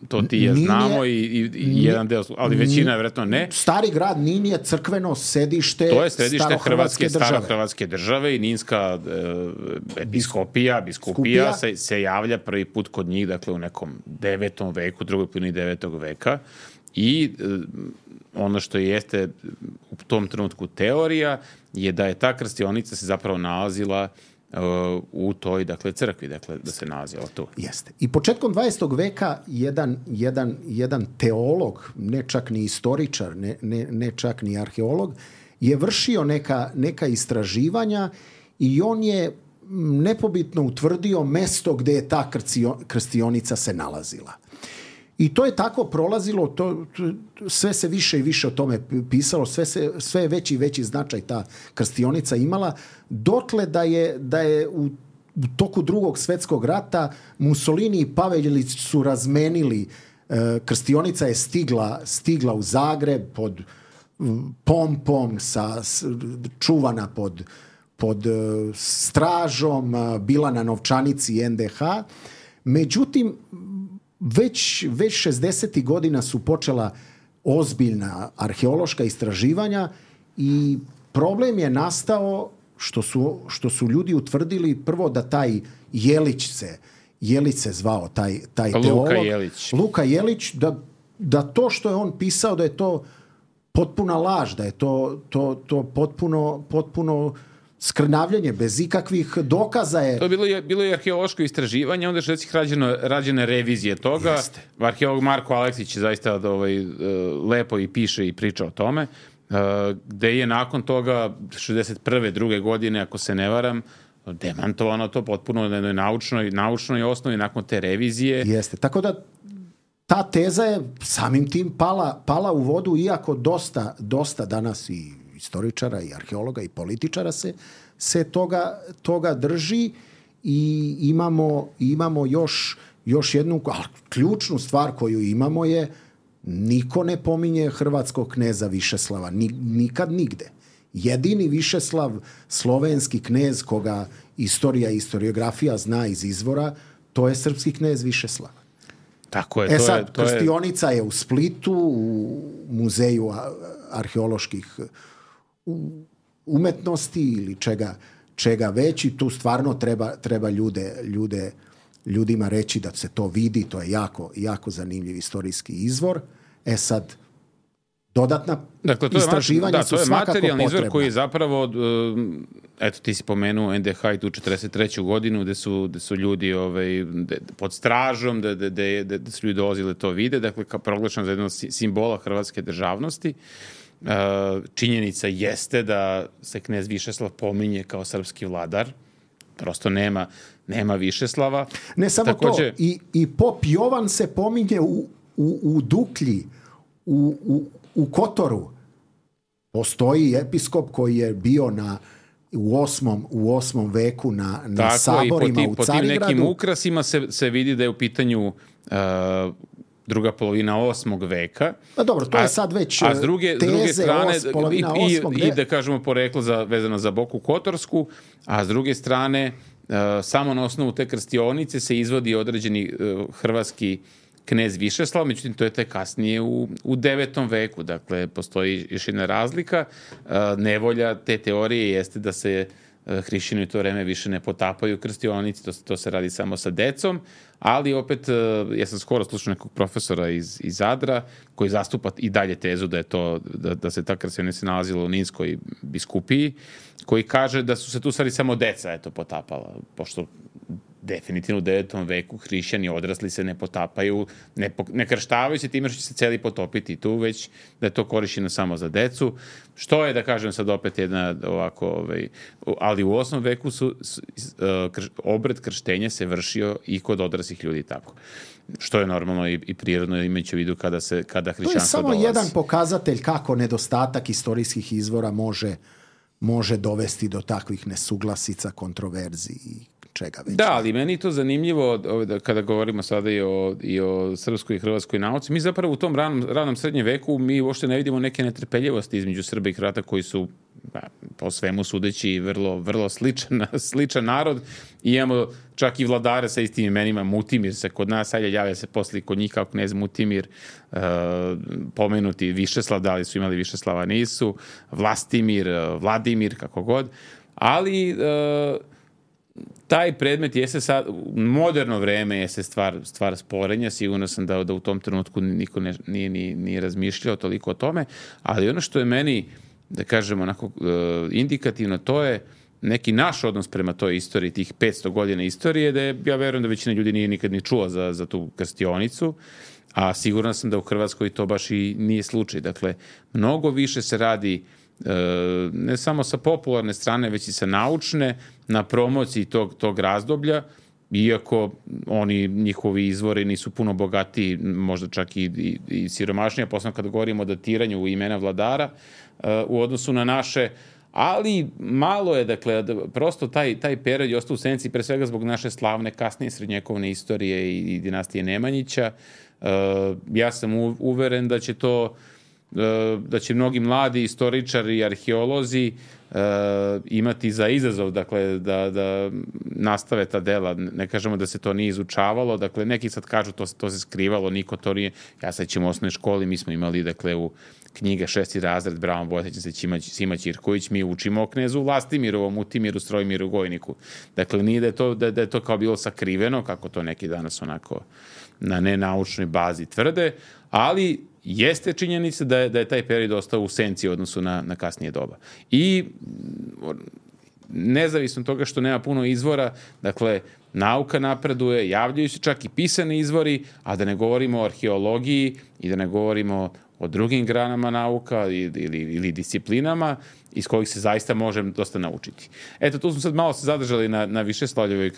to ti ja znamo i, i, i jedan deo, ali većina je vjerojatno ne. Stari grad Nin je crkveno sedište, to je sedište starohrvatske Hrvatske, države. Starohrvatske države i Ninska e, episkopija, biskupija se, se javlja prvi put kod njih, dakle u nekom devetom veku, drugoj polovini devetog veka, i e, ono što jeste u tom trenutku teorija je da je ta krstionica se zapravo nalazila uh, u toj, dakle, crkvi, dakle, da se nalazila tu. Jeste. I početkom dvadesetog veka jedan, jedan, jedan teolog, ne čak ni istoričar, ne, ne, ne čak ni arheolog, je vršio neka, neka istraživanja i on je nepobitno utvrdio mesto gdje je ta krstionica se nalazila. I to je tako prolazilo, to, sve se više i više o tome pisalo, sve, se, sve je veći i veći značaj ta krstionica imala, dotle da je, da je u, u toku drugog svjetskog rata Mussolini i Pavelić su razmenili, e, krstionica je stigla, stigla u Zagreb pod pompom, sa, čuvana pod, pod stražom, bila na novčanici en de ha. Međutim, već, već šezdesetih godina su počela ozbiljna arheološka istraživanja i problem je nastao što su, što su ljudi utvrdili prvo da taj Jelić se, Jelić se zvao, taj, taj Luka teolog. Jelić. Luka Jelić, da, da to što je on pisao, da je to potpuna laž, da je to, to, to potpuno, potpuno skrnavljenje, bez ikakvih dokaza je. To je bilo, je, bilo je arheološko istraživanje, onda je švedskih rađeno, rađene revizije toga. Jeste. Arheolog Marko Aleksić je zaista ovaj, lepo i piše i priča o tome, gde je nakon toga šezdeset prve druge godine, ako se ne varam, demantovano to potpuno na jednoj naučnoj, naučnoj osnovi nakon te revizije. Jeste, tako da ta teza je samim tim pala, pala u vodu, iako dosta, dosta danas i istoričara i arheologa i političara se, se toga, toga drži i imamo, imamo još, još jednu ključnu stvar koju imamo je niko ne pominje hrvatskog kneza Višeslava, ni, nikad nigde. Jedini Višeslav, slovenski knez koga istorija i historiografija zna iz izvora, to je srpski knez Višeslav. Tako je. E to sad, je, to krstionica je... je u Splitu, u muzeju arheoloških umetnosti ili čega, čega već i tu stvarno treba, treba ljude, ljude, ljudima reći da se to vidi, to je jako, jako zanimljiv istorijski izvor. E sad, dodatna dakle, to istraživanja je, da, su to je svakako materijalni potrebna. izvor koji je zapravo, eto ti si pomenuo en de ha i tu četrdeset treću godinu gde su, gde su ljudi ovaj, de, pod stražom, da de, de, de, de su ljudi dolazili to vide, dakle kao proglašen za jednog simbola hrvatske državnosti. Činjenica jeste da se knez Višeslav pominje kao srpski vladar, prosto nema, nema Višeslava. Ne samo takođe, to, i, i pop Jovan se pominje u, u, u Duklji, u, u, u Kotoru. Postoji episkop koji je bio na, u, osmom, u osmom veku na, na tako, saborima i u po Carigradu. Tako, po tim nekim ukrasima se, se vidi da je u pitanju uh, druga polovina osmog veka. A dobro, to a, je sad već a s druge, teze, s druge strane, os, polovina i, osmog i, i da kažemo poreklo za, vezano za Boku Kotorsku, a s druge strane, uh, samo na osnovu te krstionice se izvodi određeni uh, hrvatski knez Višeslav, međutim to je te kasnije u, u devetom veku, dakle postoji još jedna razlika. Uh, nevolja te teorije jeste da se hrišćani u to vreme više ne potapaju krstionici, to, to se radi samo sa decom, ali opet, ja sam skoro slušao nekog profesora iz, iz Zadra, koji zastupa i dalje tezu da je to, da, da se ta krstionica nalazila u Ninskoj biskupiji, koji kaže da su se tu stvari samo deca eto, potapala, pošto definitivno u devetom veku hrišćani odrasli se ne potapaju, ne, ne krštavaju se time što će se celi potopiti tu, već da je to korišćeno samo za decu, što je, da kažem sad opet jedna ovako, ovaj, ali u osmom veku su, su krš, obred krštenja se vršio i kod odraslih ljudi tako. Što je normalno i, i prirodno imajući u vidu kada, se, kada hrišćanstvo dolazi. To je samo jedan pokazatelj kako nedostatak istorijskih izvora može, može dovesti do takvih nesuglasica, kontroverzi i čega već. Da, ali meni je to zanimljivo kada govorimo sada i o, i o srpskoj i hrvatskoj nauci. Mi zapravo u tom ranom, ranom srednjem veku mi uopšte ne vidimo neke netrpeljivosti između Srba i Hrvata koji su ba, po svemu sudeći vrlo, vrlo sličan, sličan narod. I imamo čak i vladare sa istim imenima. Mutimir se kod nas, ajde javlja se posle kod njih kao knez Mutimir, uh, pomenuti Višeslav, da li su imali Višeslava, nisu, Vlastimir, Vladimir, kako god. Ali uh, taj predmet jeste sad, u moderno vreme jeste stvar, stvar sporenja, sigurno sam da, da u tom trenutku niko ne, nije ni, ni razmišljao toliko o tome, ali ono što je meni, da kažemo, onako, indikativno, to je neki naš odnos prema toj istoriji, tih petsto godina istorije, da je, ja verujem da većina ljudi nije nikad ni čula za, za tu krstionicu, a siguran sam da u Hrvatskoj to baš i nije slučaj. Dakle, mnogo više se radi ne samo sa popularne strane, već i sa naučne, na promociji tog, tog razdoblja, iako oni, njihovi izvori nisu puno bogatiji, možda čak i, i, i siromašniji, posebno kada govorimo o datiranju imena vladara u odnosu na naše, ali malo je, dakle, prosto taj, taj period je ostao u senci, pre svega zbog naše slavne kasnije srednjekovne istorije i, i dinastije Nemanjića. Ja sam uveren da će to da će mnogi mladi istoričari i arheolozi uh, imati za izazov, dakle, da, da nastave ta dela. Ne kažemo da se to nije izučavalo, dakle, neki sad kažu to, to se skrivalo, niko to nije. Ja sad ćemo u osnovnoj školi, mi smo imali, dakle, u knjige šesti razred, Braun Bojsećan se Sima Ćirković, mi učimo o knezu Vlastimiru, Mutimiru, Strojmiru, Gojniku. Dakle, nije da je to, da, da je to kao bilo sakriveno, kako to neki danas onako na nenaučnoj bazi tvrde, ali jeste činjenica da je, da je taj period ostao u senci u odnosu na, na kasnije doba. I nezavisno toga što nema puno izvora, dakle, nauka napreduje, javljaju se čak i pisani izvori, a da ne govorimo o arheologiji i da ne govorimo o drugim granama nauka ili, ili, ili disciplinama iz kojih se zaista može dosta naučiti. Eto, tu smo sad malo se zadržali na, na Višeslavljevoj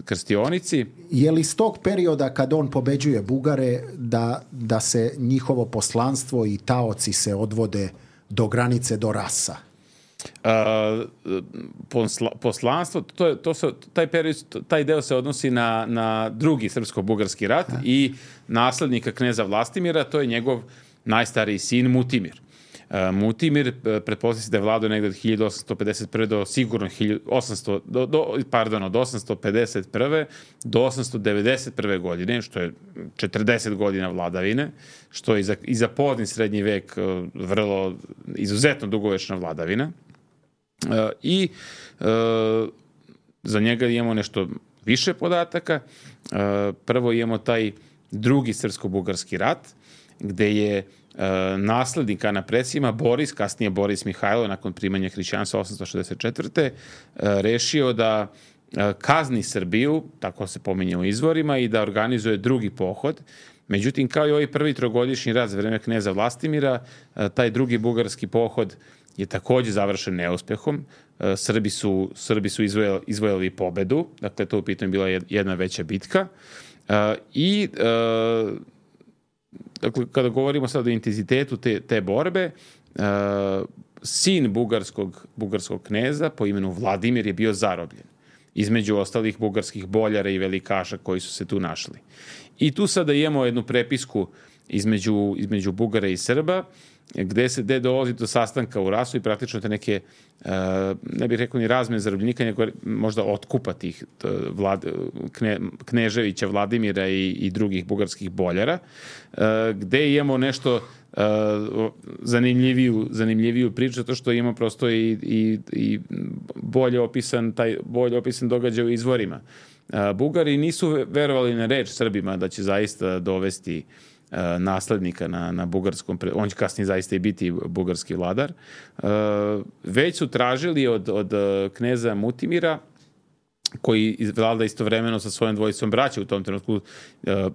krstionici. Je li iz tog perioda kad on pobeđuje Bugare da, da se njihovo poslanstvo i taoci se odvode do granice, do Rasa? Uh, posla, poslanstvo, to je, to se, taj, period, taj deo se odnosi na, na drugi srpsko-bugarski rat A. i naslednika kneza Vlastimira, to je njegov najstariji sin Mutimir. Uh, Mutimir, pretpostavlja se da je vladao negde od hiljadu osamsto pedeset prve do sigurno osamsto, do, do, pardon, od osamsto pedeset prve do osamsto devedeset prve godine, što je četrdeset godina vladavine, što je i za, i za pozni srednji vek uh, vrlo izuzetno dugovečna vladavina. Uh, I uh, za njega imamo nešto više podataka. Uh, prvo imamo taj drugi srpsko-bugarski rat, gde je uh, naslednik Ana Presima, Boris, kasnije Boris Mihajlo, nakon primanja hrišćanstva osamsto šezdeset četvrte Uh, rešio da uh, kazni Srbiju, tako se pominje u izvorima, i da organizuje drugi pohod. Međutim, kao i ovaj prvi trogodišnji rat za vreme kneza Vlastimira, uh, taj drugi bugarski pohod je takođe završen neuspehom. Uh, Srbi su, Srbi su izvojali, izvojali pobedu, dakle, to u pitanju bila jedna veća bitka. Uh, I uh, dakle, kada govorimo sad o intenzitetu te, te borbe, uh, sin bugarskog, bugarskog kneza po imenu Vladimir je bio zarobljen, između ostalih bugarskih boljara i velikaša koji su se tu našli. I tu sada imamo jednu prepisku između, između Bugara i Srba, gde se gde dolazi do sastanka u Rasu i praktično te neke, uh, ne bih rekao ni razmene zarobljenika, nego možda otkupa tih vlad, kne, Kneževića, Vladimira i, i drugih bugarskih boljara, uh, gde imamo nešto uh, zanimljiviju, zanimljiviju priču, zato što imamo prosto i, i, i bolje opisan, taj, bolje opisan događaj u izvorima. Uh, Bugari nisu verovali na reč Srbima da će zaista dovesti naslednika na, na bugarskom, on će kasnije zaista i biti bugarski vladar, već su tražili od, od kneza Mutimira, koji vlada istovremeno sa svojom dvojicom braća u tom trenutku.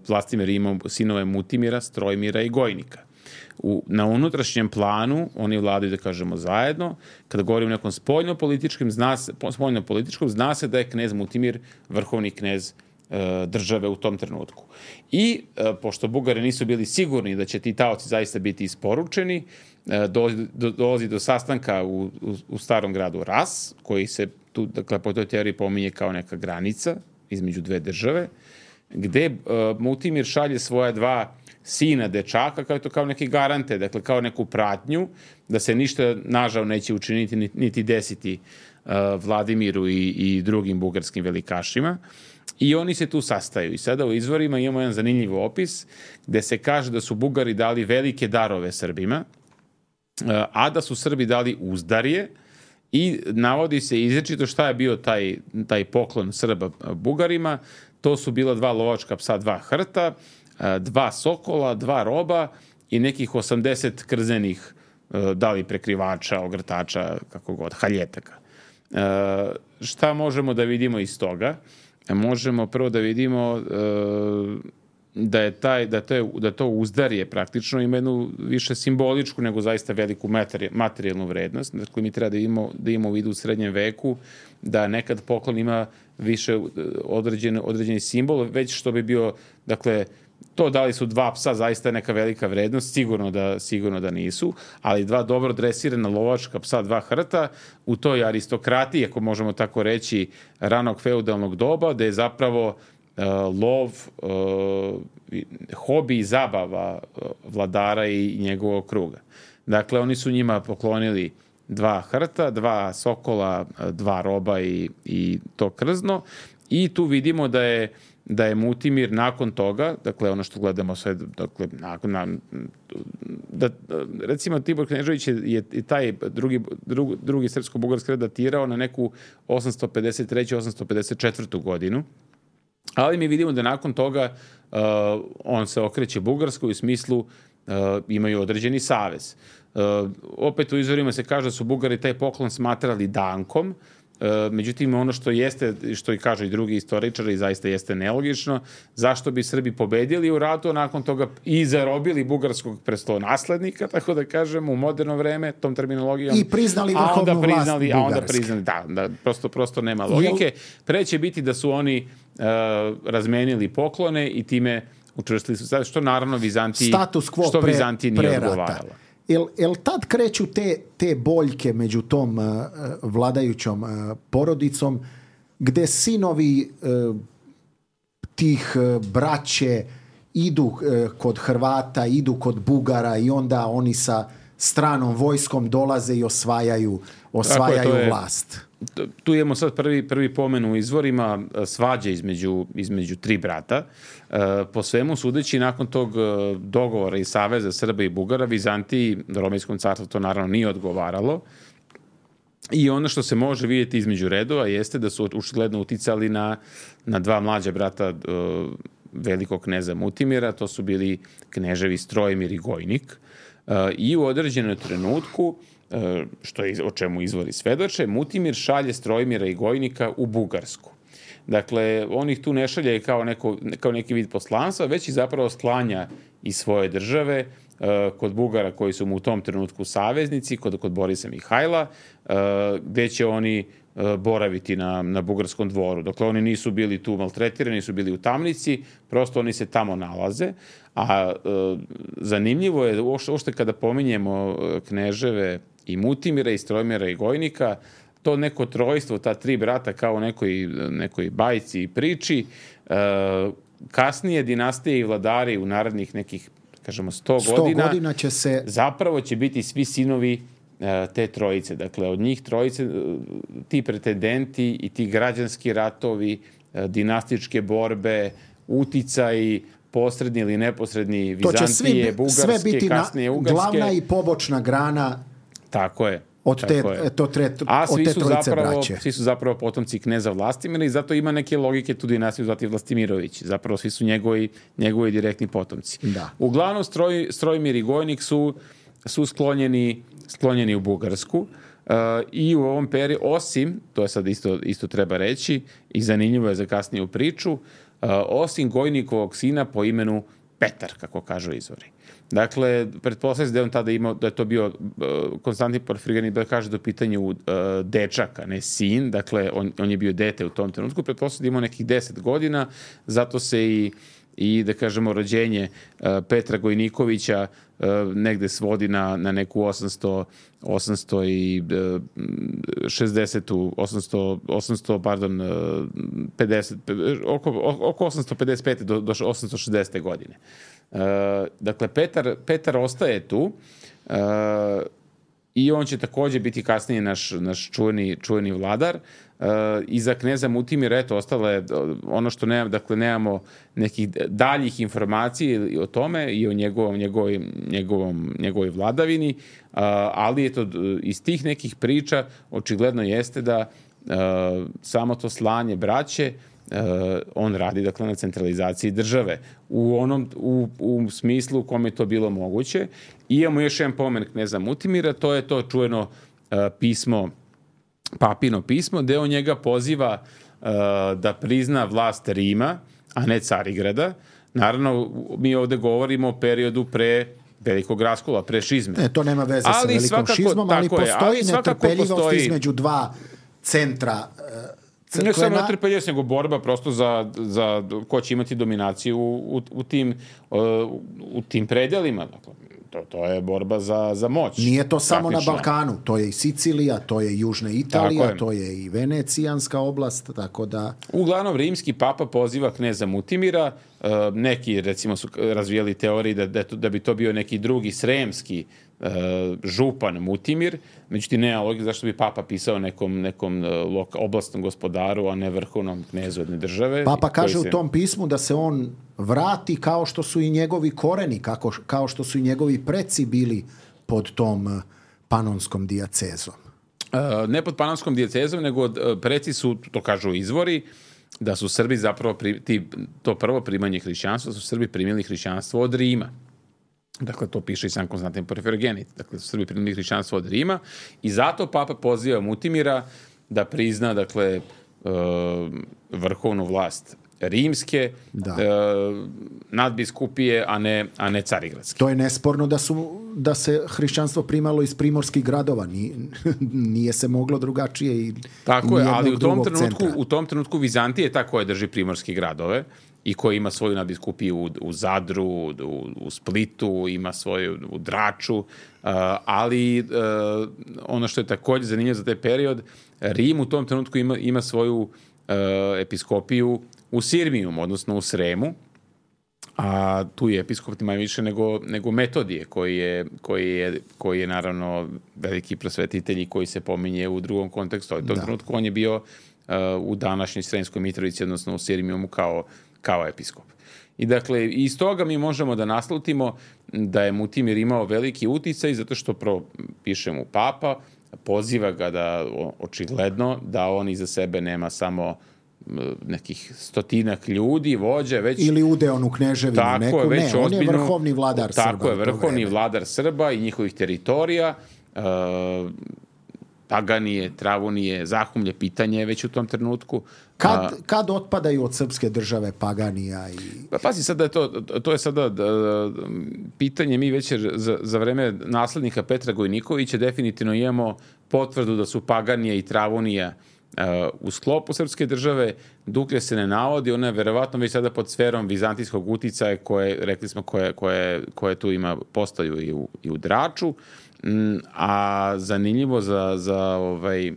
Vlastimir ima sinove Mutimira, Strojmira i Gojnika. U, na unutrašnjem planu oni vladaju, da kažemo, zajedno. Kada govorimo o nekom spoljno-političkom, zna se, spoljno-političkom, zna se da je knez Mutimir vrhovni knez države u tom trenutku. I pošto Bugari nisu bili sigurni da će ti taoci zaista biti isporučeni, dolazi do, dolazi do sastanka u, u, u starom gradu Ras, koji se tu, dakle, po toj teoriji pominje kao neka granica između dve države, gde uh, Mutimir šalje svoja dva sina dečaka kao to kao neke garante, dakle kao neku pratnju da se ništa nažal neće učiniti niti desiti uh, Vladimiru i, i drugim bugarskim velikašima. I oni se tu sastaju. I sada u izvorima imamo jedan zanimljiv opis gde se kaže da su Bugari dali velike darove Srbima, a da su Srbi dali uzdarje, i navodi se izričito šta je bio taj, taj poklon Srba Bugarima. To su bila dva lovačka psa, dva hrta, dva sokola, dva roba i nekih osamdeset krzenih, da li prekrivača, ogrtača, kako god, haljetaka. Šta možemo da vidimo iz toga? Možemo prvo da vidimo da je taj, da to, je, da to uzdarje praktično ima jednu više simboličku nego zaista veliku materijalnu vrednost. Dakle, mi treba da imamo, da imamo u vidu u srednjem veku da nekad poklon ima više određen, određeni simbol, već što bi bio, dakle, to da li su dva psa zaista neka velika vrednost, sigurno da, sigurno da nisu, ali dva dobro dresirana lovačka psa, dva hrta, u toj aristokratiji, ako možemo tako reći, ranog feudalnog doba, da je zapravo uh, lov, uh, hobi i zabava uh, vladara i njegovog kruga. Dakle, oni su njima poklonili dva hrta, dva sokola, dva roba i, i to krzno, i tu vidimo da je da je Mutimir nakon toga, dakle ono što gledamo sve, dakle, nakon, na, da, recimo Tibor Knežević je, je taj drugi, drugi, drugi srpsko-bugarski red datirao na neku osamsto pedeset treću osamsto pedeset četvrtu godinu, ali mi vidimo da nakon toga uh, on se okreće Bugarskoj u smislu uh, imaju određeni savez. Uh, opet u izvorima se kaže da su Bugari taj poklon smatrali dankom. Međutim, ono što jeste, što i kažu i drugi istoričari, zaista jeste nelogično, zašto bi Srbi pobedili u ratu, a nakon toga i zarobili bugarskog prestolonaslednika, tako da kažemo, u moderno vreme, tom terminologijom. I priznali vrhovnu vlast Bugarske. A onda priznali, da, da prosto, prosto nema logike. Pre će biti da su oni uh, razmenili poklone i time učvrstili su, što naravno Vizantiji, status quo što pre, Vizantiji nije odgovaralo. Jel, jel tad kreću te, te boljke među tom uh, vladajućom uh, porodicom, gde sinovi uh, tih uh, braće idu uh, kod Hrvata, idu kod Bugara i onda oni sa stranom vojskom dolaze i osvajaju, osvajaju je, vlast. Tu imamo sad prvi, prvi pomen u izvorima svađe između, između tri brata. Po svemu sudeći, nakon tog dogovora i saveza Srba i Bugara, Vizantiji, Romejskom carstvu to naravno nije odgovaralo. I ono što se može vidjeti između redova jeste da su očigledno uticali na, na dva mlađa brata velikog kneza Mutimira, to su bili kneževi Strojmir i Gojnik. I u određenom trenutku, što je, o čemu izvori svedoče, Mutimir šalje Strojmira i Gojnika u Bugarsku. Dakle, on ih tu ne šalje kao, neko, kao neki vid poslanstva, već i zapravo sklanja iz svoje države kod Bugara koji su mu u tom trenutku saveznici, kod, kod Borisa Mihajla, gde će oni boraviti na, na bugarskom dvoru. Dakle, oni nisu bili tu maltretirani, nisu bili u tamnici, prosto oni se tamo nalaze. A e, zanimljivo je, uopšte kada pominjemo kneževe i Mutimira, i Strojmira, i Gojnika, to neko trojstvo, ta tri brata kao u nekoj, nekoj bajci i priči, e, kasnije dinastije i vladari u narednih nekih, kažemo, sto godina, godina će se... zapravo će biti svi sinovi e, te trojice. Dakle, od njih trojice, ti pretendenti i ti građanski ratovi, e, dinastičke borbe, uticaji, posredni ili neposredni Vizantije, Bugarske, kasnije Ugarske. Glavna i pobočna grana. Tako je. Od te, to tre, A od svi te su, trojice zapravo, braće. svi su zapravo potomci kneza Vlastimira i zato ima neke logike tu dinastiju zvati Vlastimirović. Zapravo svi su njegovi, njegovi direktni potomci. Da. Uglavnom, stroj, Strojmir i Gojnik su, su sklonjeni, sklonjeni u Bugarsku. Uh, i u ovom periodu, osim, to je sad isto, isto treba reći, i zanimljivo je za kasniju priču, uh, osim Gojnikovog sina po imenu Petar, kako kažu izvori. Dakle, pretpostavlja se da je on tada imao, da je to bio uh, Konstantin Porfirgani, da kaže do pitanju uh, dečaka, ne sin, dakle, on, on je bio dete u tom trenutku, pretpostavlja se da je imao nekih deset godina, zato se i, i da kažemo, rođenje uh, Petra Gojnikovića uh, negde svodi na, na neku osamsto, osamsto šezdeset, osamsto, osamsto, pardon, pedeset, oko, oko osamsto pedeset pete do, do osamsto šezdeset godine. Uh, dakle, Petar, Petar ostaje tu uh, i on će također biti kasnije naš, naš čuveni, čuveni vladar. Uh, I za kneza Mutimira, eto, ostalo je ono što nemam, dakle, nemamo nekih daljih informacija o tome i o njegovom, njegovoj, njegovom, njegovoj vladavini, uh, ali eto, iz tih nekih priča očigledno jeste da uh, samo to slanje braće, Uh, on radi, dakle, na centralizaciji države u onom u, u smislu u kome je to bilo moguće. I imamo još jedan pomen kneza Mutimira, to je to čujeno uh, pismo papino pismo, gde on njega poziva uh, da prizna vlast Rima, a ne Carigrada. Naravno, mi ovde govorimo o periodu pre velikog raskola, pre šizme. Ne, to nema veze ali sa velikom svakako, šizmom, ali postoji ali netrpeljivost postoji... između dva centra crkvena. Ne samo netrpeljivost, nego borba prosto za, za ko će imati dominaciju u, u, u, tim, uh, u tim predelima. Dakle, to, to je borba za, za moć. Nije to samo praktično na Balkanu, to je i Sicilija, to je i Južna Italija, je. To je i Venecijanska oblast, tako da... Uglavnom, rimski papa poziva kneza Mutimira, uh, neki, recimo, su razvijali teoriji da, da, da bi to bio neki drugi sremski uh, župan Mutimir, međutim, nema logike zašto bi papa pisao nekom, nekom loka, oblastnom gospodaru, a ne vrhovnom knezu jedne države. Papa kaže se... u tom pismu da se on vrati kao što su i njegovi koreni, kako, kao što su i njegovi preci bili pod tom panonskom dijacezom. Uh, ne pod panonskom dijacezom, nego uh, preci su, to kažu izvori, da su Srbi zapravo, pri, ti, to prvo primanje hrišćanstva, su Srbi primili hrišćanstvo od Rima. Dakle, to piše i sam Konstantin Porfirogenit. Dakle, su Srbi primili hrišćanstvo od Rima i zato papa poziva Mutimira da prizna, dakle, uh, vrhovnu vlast rimske, da. e, nadbiskupije, a ne, a ne carigradske. To je nesporno da, su, da se hrišćanstvo primalo iz primorskih gradova. Nije, nije se moglo drugačije i tako je, ali u tom, trenutku, u tom trenutku Vizantija je ta koja drži primorske gradove i koja ima svoju nadbiskupiju u, u Zadru, u, u Splitu, ima svoju u Draču, uh, ali uh, ono što je također zanimljivo za taj period, Rim u tom trenutku ima, ima svoju uh, episkopiju u Sirmijum, odnosno u Sremu, a tu je episkop manje više nego, nego Metodije, koji je, koji, je, koji je naravno veliki prosvetitelj i koji se pominje u drugom kontekstu. U tom da. trenutku on je bio uh, u današnjoj Sremskoj Mitrovici, odnosno u Sirmijumu kao, kao episkop. I dakle, iz toga mi možemo da naslutimo da je Mutimir imao veliki uticaj, zato što pro, piše mu papa, poziva ga da, očigledno, da on iza sebe nema samo nekih stotinak ljudi, vođe, već... Ili udeon u kneževinu neku, je, ne, on je vrhovni vladar tako Srba. Tako je, vrhovni vladar Srba i njihovih teritorija, uh, Paganije, Travunije, Zahumlje, pitanje već u tom trenutku. Kad, kad otpadaju od srpske države Paganija i... Pa pazi, sada je to, to je sada uh, pitanje, mi već za, za vreme naslednika Petra Gojnikovića definitivno imamo potvrdu da su Paganija i Travunija Uh, u sklopu srpske države. Duklje se ne navodi, ona je verovatno već sada pod sferom vizantijskog uticaja koje, rekli smo, koje, koje, koje tu ima, postaju i u, i u Draču. Mm, a zanimljivo za, za, ovaj,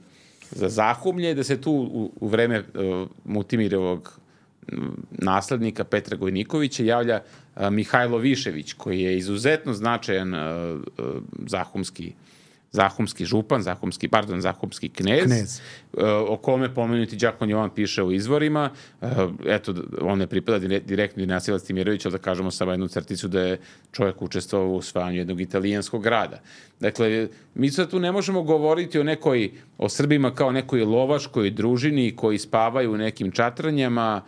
za Zahumlje je da se tu u, u vreme uh, Mutimirovog naslednika Petra Gojnikovića javlja uh, Mihajlo Višević, koji je izuzetno značajan uh, uh, zahumski Zahumski župan, Zahumski, pardon, Zahumski knez, knez. O kome pomenuti Đakon Jovan piše u izvorima. Eto, on ne pripada direktno dinastiji Vlastimirovića, ali da kažemo samo jednu crticu da je čovjek učestvovao u osvajanju jednog italijanskog grada. Dakle, mi sad tu ne možemo govoriti o nekoj, o Srbima kao nekoj lovaškoj družini koji spavaju u nekim čatranjama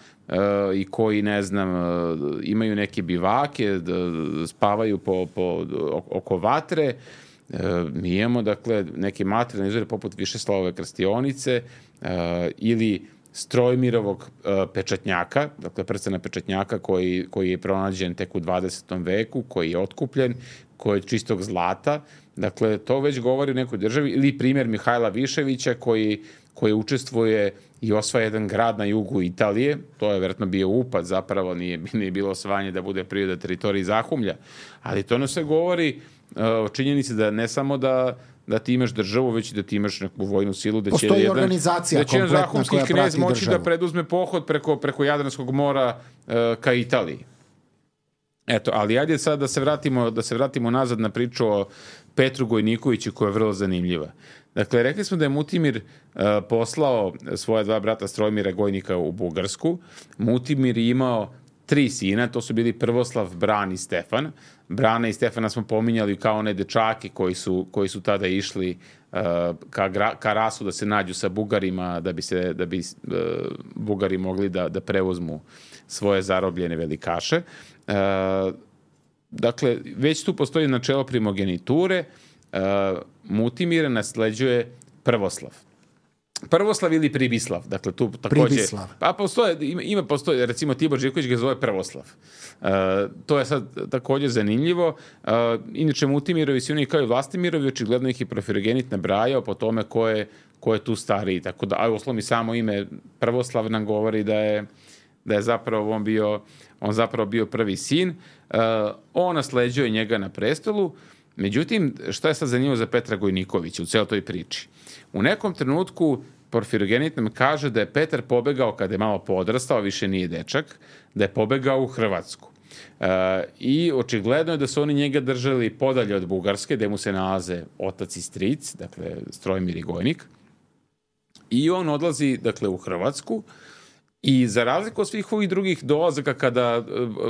i koji, ne znam, imaju neke bivake, spavaju po, po, oko vatre. E, mi imamo, dakle, neke materijalne izvore poput Višeslavove krstionice e, ili Strojmirovog e, pečatnjaka, dakle, prstena pečatnjaka koji, koji je pronađen tek u dvadesetom veku, koji je otkupljen, koji je čistog zlata. Dakle, to već govori o nekoj državi. Ili primjer Mihajla Viševića koji, koji učestvuje i osvaja jedan grad na jugu Italije. To je vjerojatno bio upad, zapravo nije, nije bilo osvajanje da bude priroda teritoriji Zahumlja. Ali to ono se govori o činjenici da ne samo da, da ti imaš državu, već i da ti imaš neku vojnu silu, da će jedan, organizacija da će jedan zahumski knez moći državu. Da preduzme pohod preko, preko Jadranskog mora uh, ka Italiji. Eto, ali ajde sad da se vratimo, da se vratimo nazad na priču o Petru Gojnikoviću koja je vrlo zanimljiva. Dakle, rekli smo da je Mutimir uh, poslao svoje dva brata Strojmira Gojnika u Bugarsku. Mutimir je imao tri sina, to su bili Prvoslav, Bran i Stefan. Brana i Stefana smo pominjali kao one dečake koji su, koji su tada išli uh, ka, gra, ka Rasu da se nađu sa Bugarima, da bi, se, da bi uh, Bugari mogli da, da preuzmu svoje zarobljene velikaše. Uh, dakle, već tu postoji načelo primogeniture. Uh, Mutimira nasleđuje Prvoslav. Prvoslav ili Pribislav, dakle tu takođe... Pribislav. Pa postoje, ima, ima postoje, recimo Tibor Živković ga zove Prvoslav. Uh, to je sad takođe zanimljivo. Uh, inače, Mutimirovi su oni kao i Vlastimirovi, očigledno ih je Porfirogenit nabrajao po tome ko je, ko je tu stariji. Tako da, a uslovno samo ime Prvoslav nam govori da je, da je zapravo on bio, on zapravo bio prvi sin. Uh, on nasleđuje njega na prestolu. Međutim, šta je sad zanimljivo za Petra Gojnikovića u celoj toj priči? U nekom trenutku Porfirogenit nam kaže da je Petar pobegao, kada je malo podrastao, više nije dečak, da je pobegao u Hrvatsku. E, I očigledno je da su oni njega držali podalje od Bugarske, gde mu se nalaze otac i stric, dakle Strojmir i Gojnik. I on odlazi, dakle, u Hrvatsku. I za razliku od svih ovih drugih dolazaka kada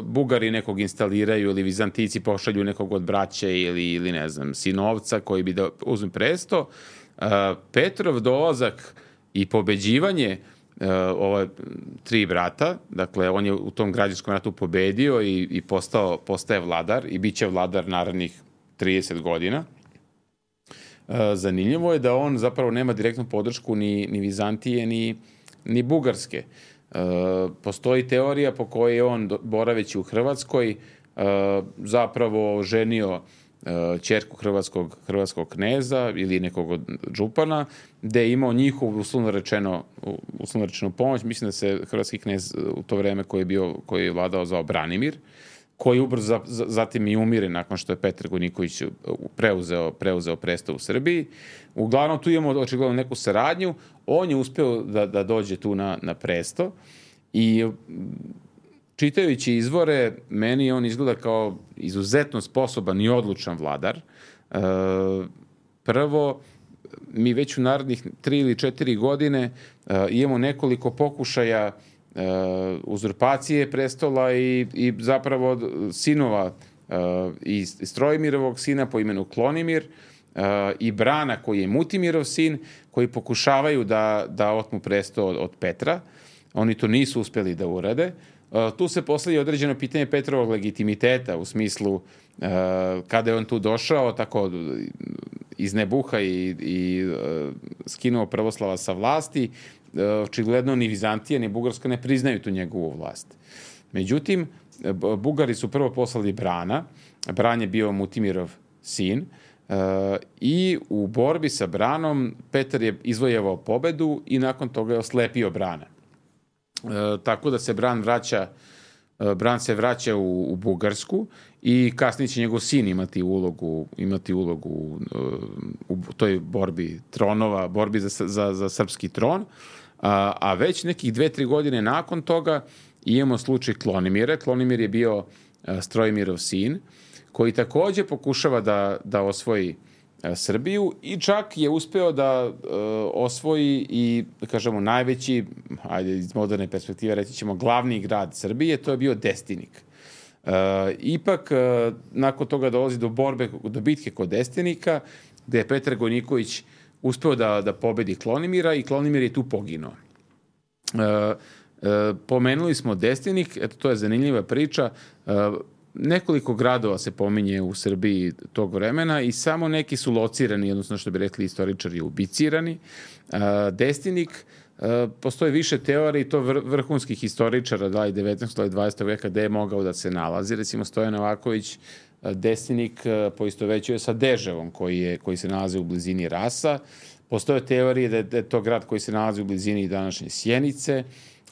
Bugari nekog instaliraju ili Vizantici pošalju nekog od braće ili, ili ne znam, sinovca koji bi da uzme presto, Petrov dolazak i pobeđivanje ove tri brata, dakle on je u tom građanskom ratu pobedio i, i postao, postaje vladar i bit će vladar narednih trideset godina. Zanimljivo je da on zapravo nema direktnu podršku ni, ni Vizantije ni, ni Bugarske. Uh, postoji teorija po kojoj je on, boraveći u Hrvatskoj, uh, zapravo ženio uh, ćerku hrvatskog, hrvatskog kneza ili nekog od župana, gde je imao njihovu uslovno rečeno, uslovno rečenu pomoć. Mislim da se hrvatski knez u to vreme koji je, bio, koji je vladao zvao Branimir, koji ubrzo zatim i umire nakon što je Petar Gojniković preuzeo, preuzeo presto u Srbiji. Uglavnom, tu imamo očigledno neku saradnju. On je uspeo da, da dođe tu na, na presto i čitajući izvore, meni on izgleda kao izuzetno sposoban i odlučan vladar. E, prvo, mi već u narednih tri ili četiri godine e, imamo nekoliko pokušaja Uh, uzurpacije prestola i, i zapravo sinova uh, i Strojmirovog sina po imenu Klonimir uh, i Brana koji je Mutimirov sin, koji pokušavaju da, da otmu presto od, od Petra. Oni to nisu uspeli da urade. Uh, tu se postavlja određeno pitanje Petrovog legitimiteta u smislu uh, kada je on tu došao tako iz nebuha i, i uh, skinuo Prvoslava sa vlasti. Očigledno ni Vizantija ni Bugarska ne priznaju tu njegovu vlast. Međutim, Bugari su prvo poslali Brana, Bran je bio Mutimirov sin, i u borbi sa Branom Petar je izvojevao pobedu i nakon toga je oslepio Brana. Tako da se Bran vraća Bran se vraća u, u Bugarsku i kasnije će njegov sin imati ulogu, imati ulogu u, u toj borbi tronova, borbi za, za, za srpski tron. A, a već nekih dve, tri godine nakon toga imamo slučaj Klonimira. Klonimir je bio a, Strojmirov sin, koji takođe pokušava da, da osvoji a, Srbiju i čak je uspeo da a, osvoji i, da kažemo, najveći, ajde iz moderne perspektive reći ćemo, glavni grad Srbije, to je bio Destinik. Uh, ipak, uh, nakon toga dolazi do borbe, do bitke kod Destinika, gde je Petar Gojniković uspeo da, da pobedi Klonimira i Klonimir je tu poginuo. Uh, uh, pomenuli smo Destinik, eto, to je zanimljiva priča. Uh, nekoliko gradova se pominje u Srbiji tog vremena i samo neki su locirani, odnosno što bi rekli istoričari, ubicirani. Uh, Destinik, uh, postoje više teorija i to vr vrhunskih historičara da li devetnaestog ili dvadesetog veka gde je mogao da se nalazi. Recimo Stojan Novaković Destinik poistovećuje sa Deževom koji, je, koji se nalazi u blizini Rasa. Postoje teorije da je, da je to grad koji se nalazi u blizini današnje Sjenice.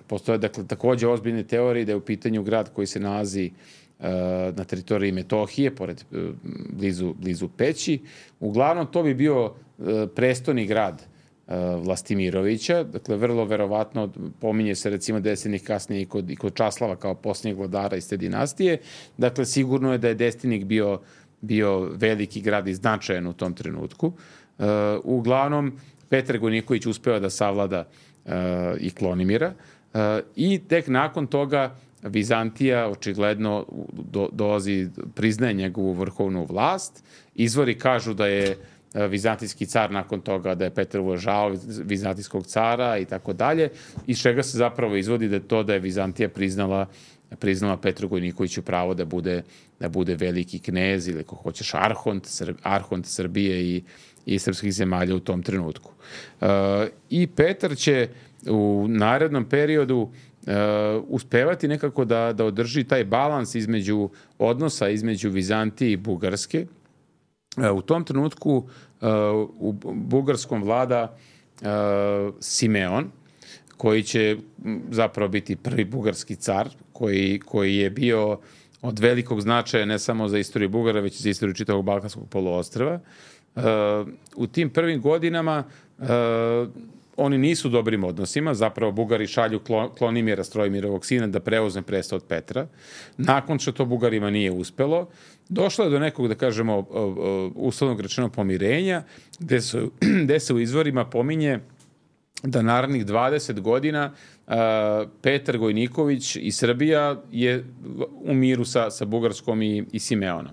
Postoje dakle, takođe ozbiljne teorije da je u pitanju grad koji se nalazi uh, na teritoriji Metohije, pored, uh, blizu, blizu Peći. Uglavnom, to bi bio uh, prestoni grad Vlastimirovića, dakle vrlo verovatno pominje se recimo Destinik kasnije i kod, i kod Časlava kao posljednjeg vladara iz te dinastije, dakle sigurno je da je Destinik bio, bio veliki grad i značajan u tom trenutku. Uh, uglavnom, Petar Gojniković uspeo da savlada uh, i Klonimira uh, i tek nakon toga Vizantija očigledno do, dolazi, priznaje njegovu vrhovnu vlast. Izvori kažu da je vizantijski car nakon toga, da je Petar uvažao vizantijskog cara i tako dalje, iz čega se zapravo izvodi da je to da je Vizantija priznala priznala Petru Gojnikoviću pravo da bude, da bude veliki knez ili ako hoćeš arhont, Srb, arhont Srbije i, i srpskih zemalja u tom trenutku. Uh, I Petar će u narednom periodu uh, uspevati nekako da, da održi taj balans između odnosa između Vizantije i Bugarske. Uh, u tom trenutku uh, u Bugarskom vlada uh, Simeon, koji će zapravo biti prvi bugarski car, koji, koji je bio od velikog značaja ne samo za istoriju Bugara, već i za istoriju čitavog Balkanskog poluostrva. Uh, u tim prvim godinama uh, oni nisu u dobrim odnosima, zapravo Bugari šalju Klonimira, Strojimirovog sina, da preuzme presto od Petra. Nakon što to Bugarima nije uspelo, došlo je do nekog, da kažemo, uslovnog rečeno pomirenja, gde, su, gde se u izvorima pominje da narednih dvadeset godina uh, Petar Gojniković i Srbija je u miru sa, sa Bugarskom i, i Simeonom.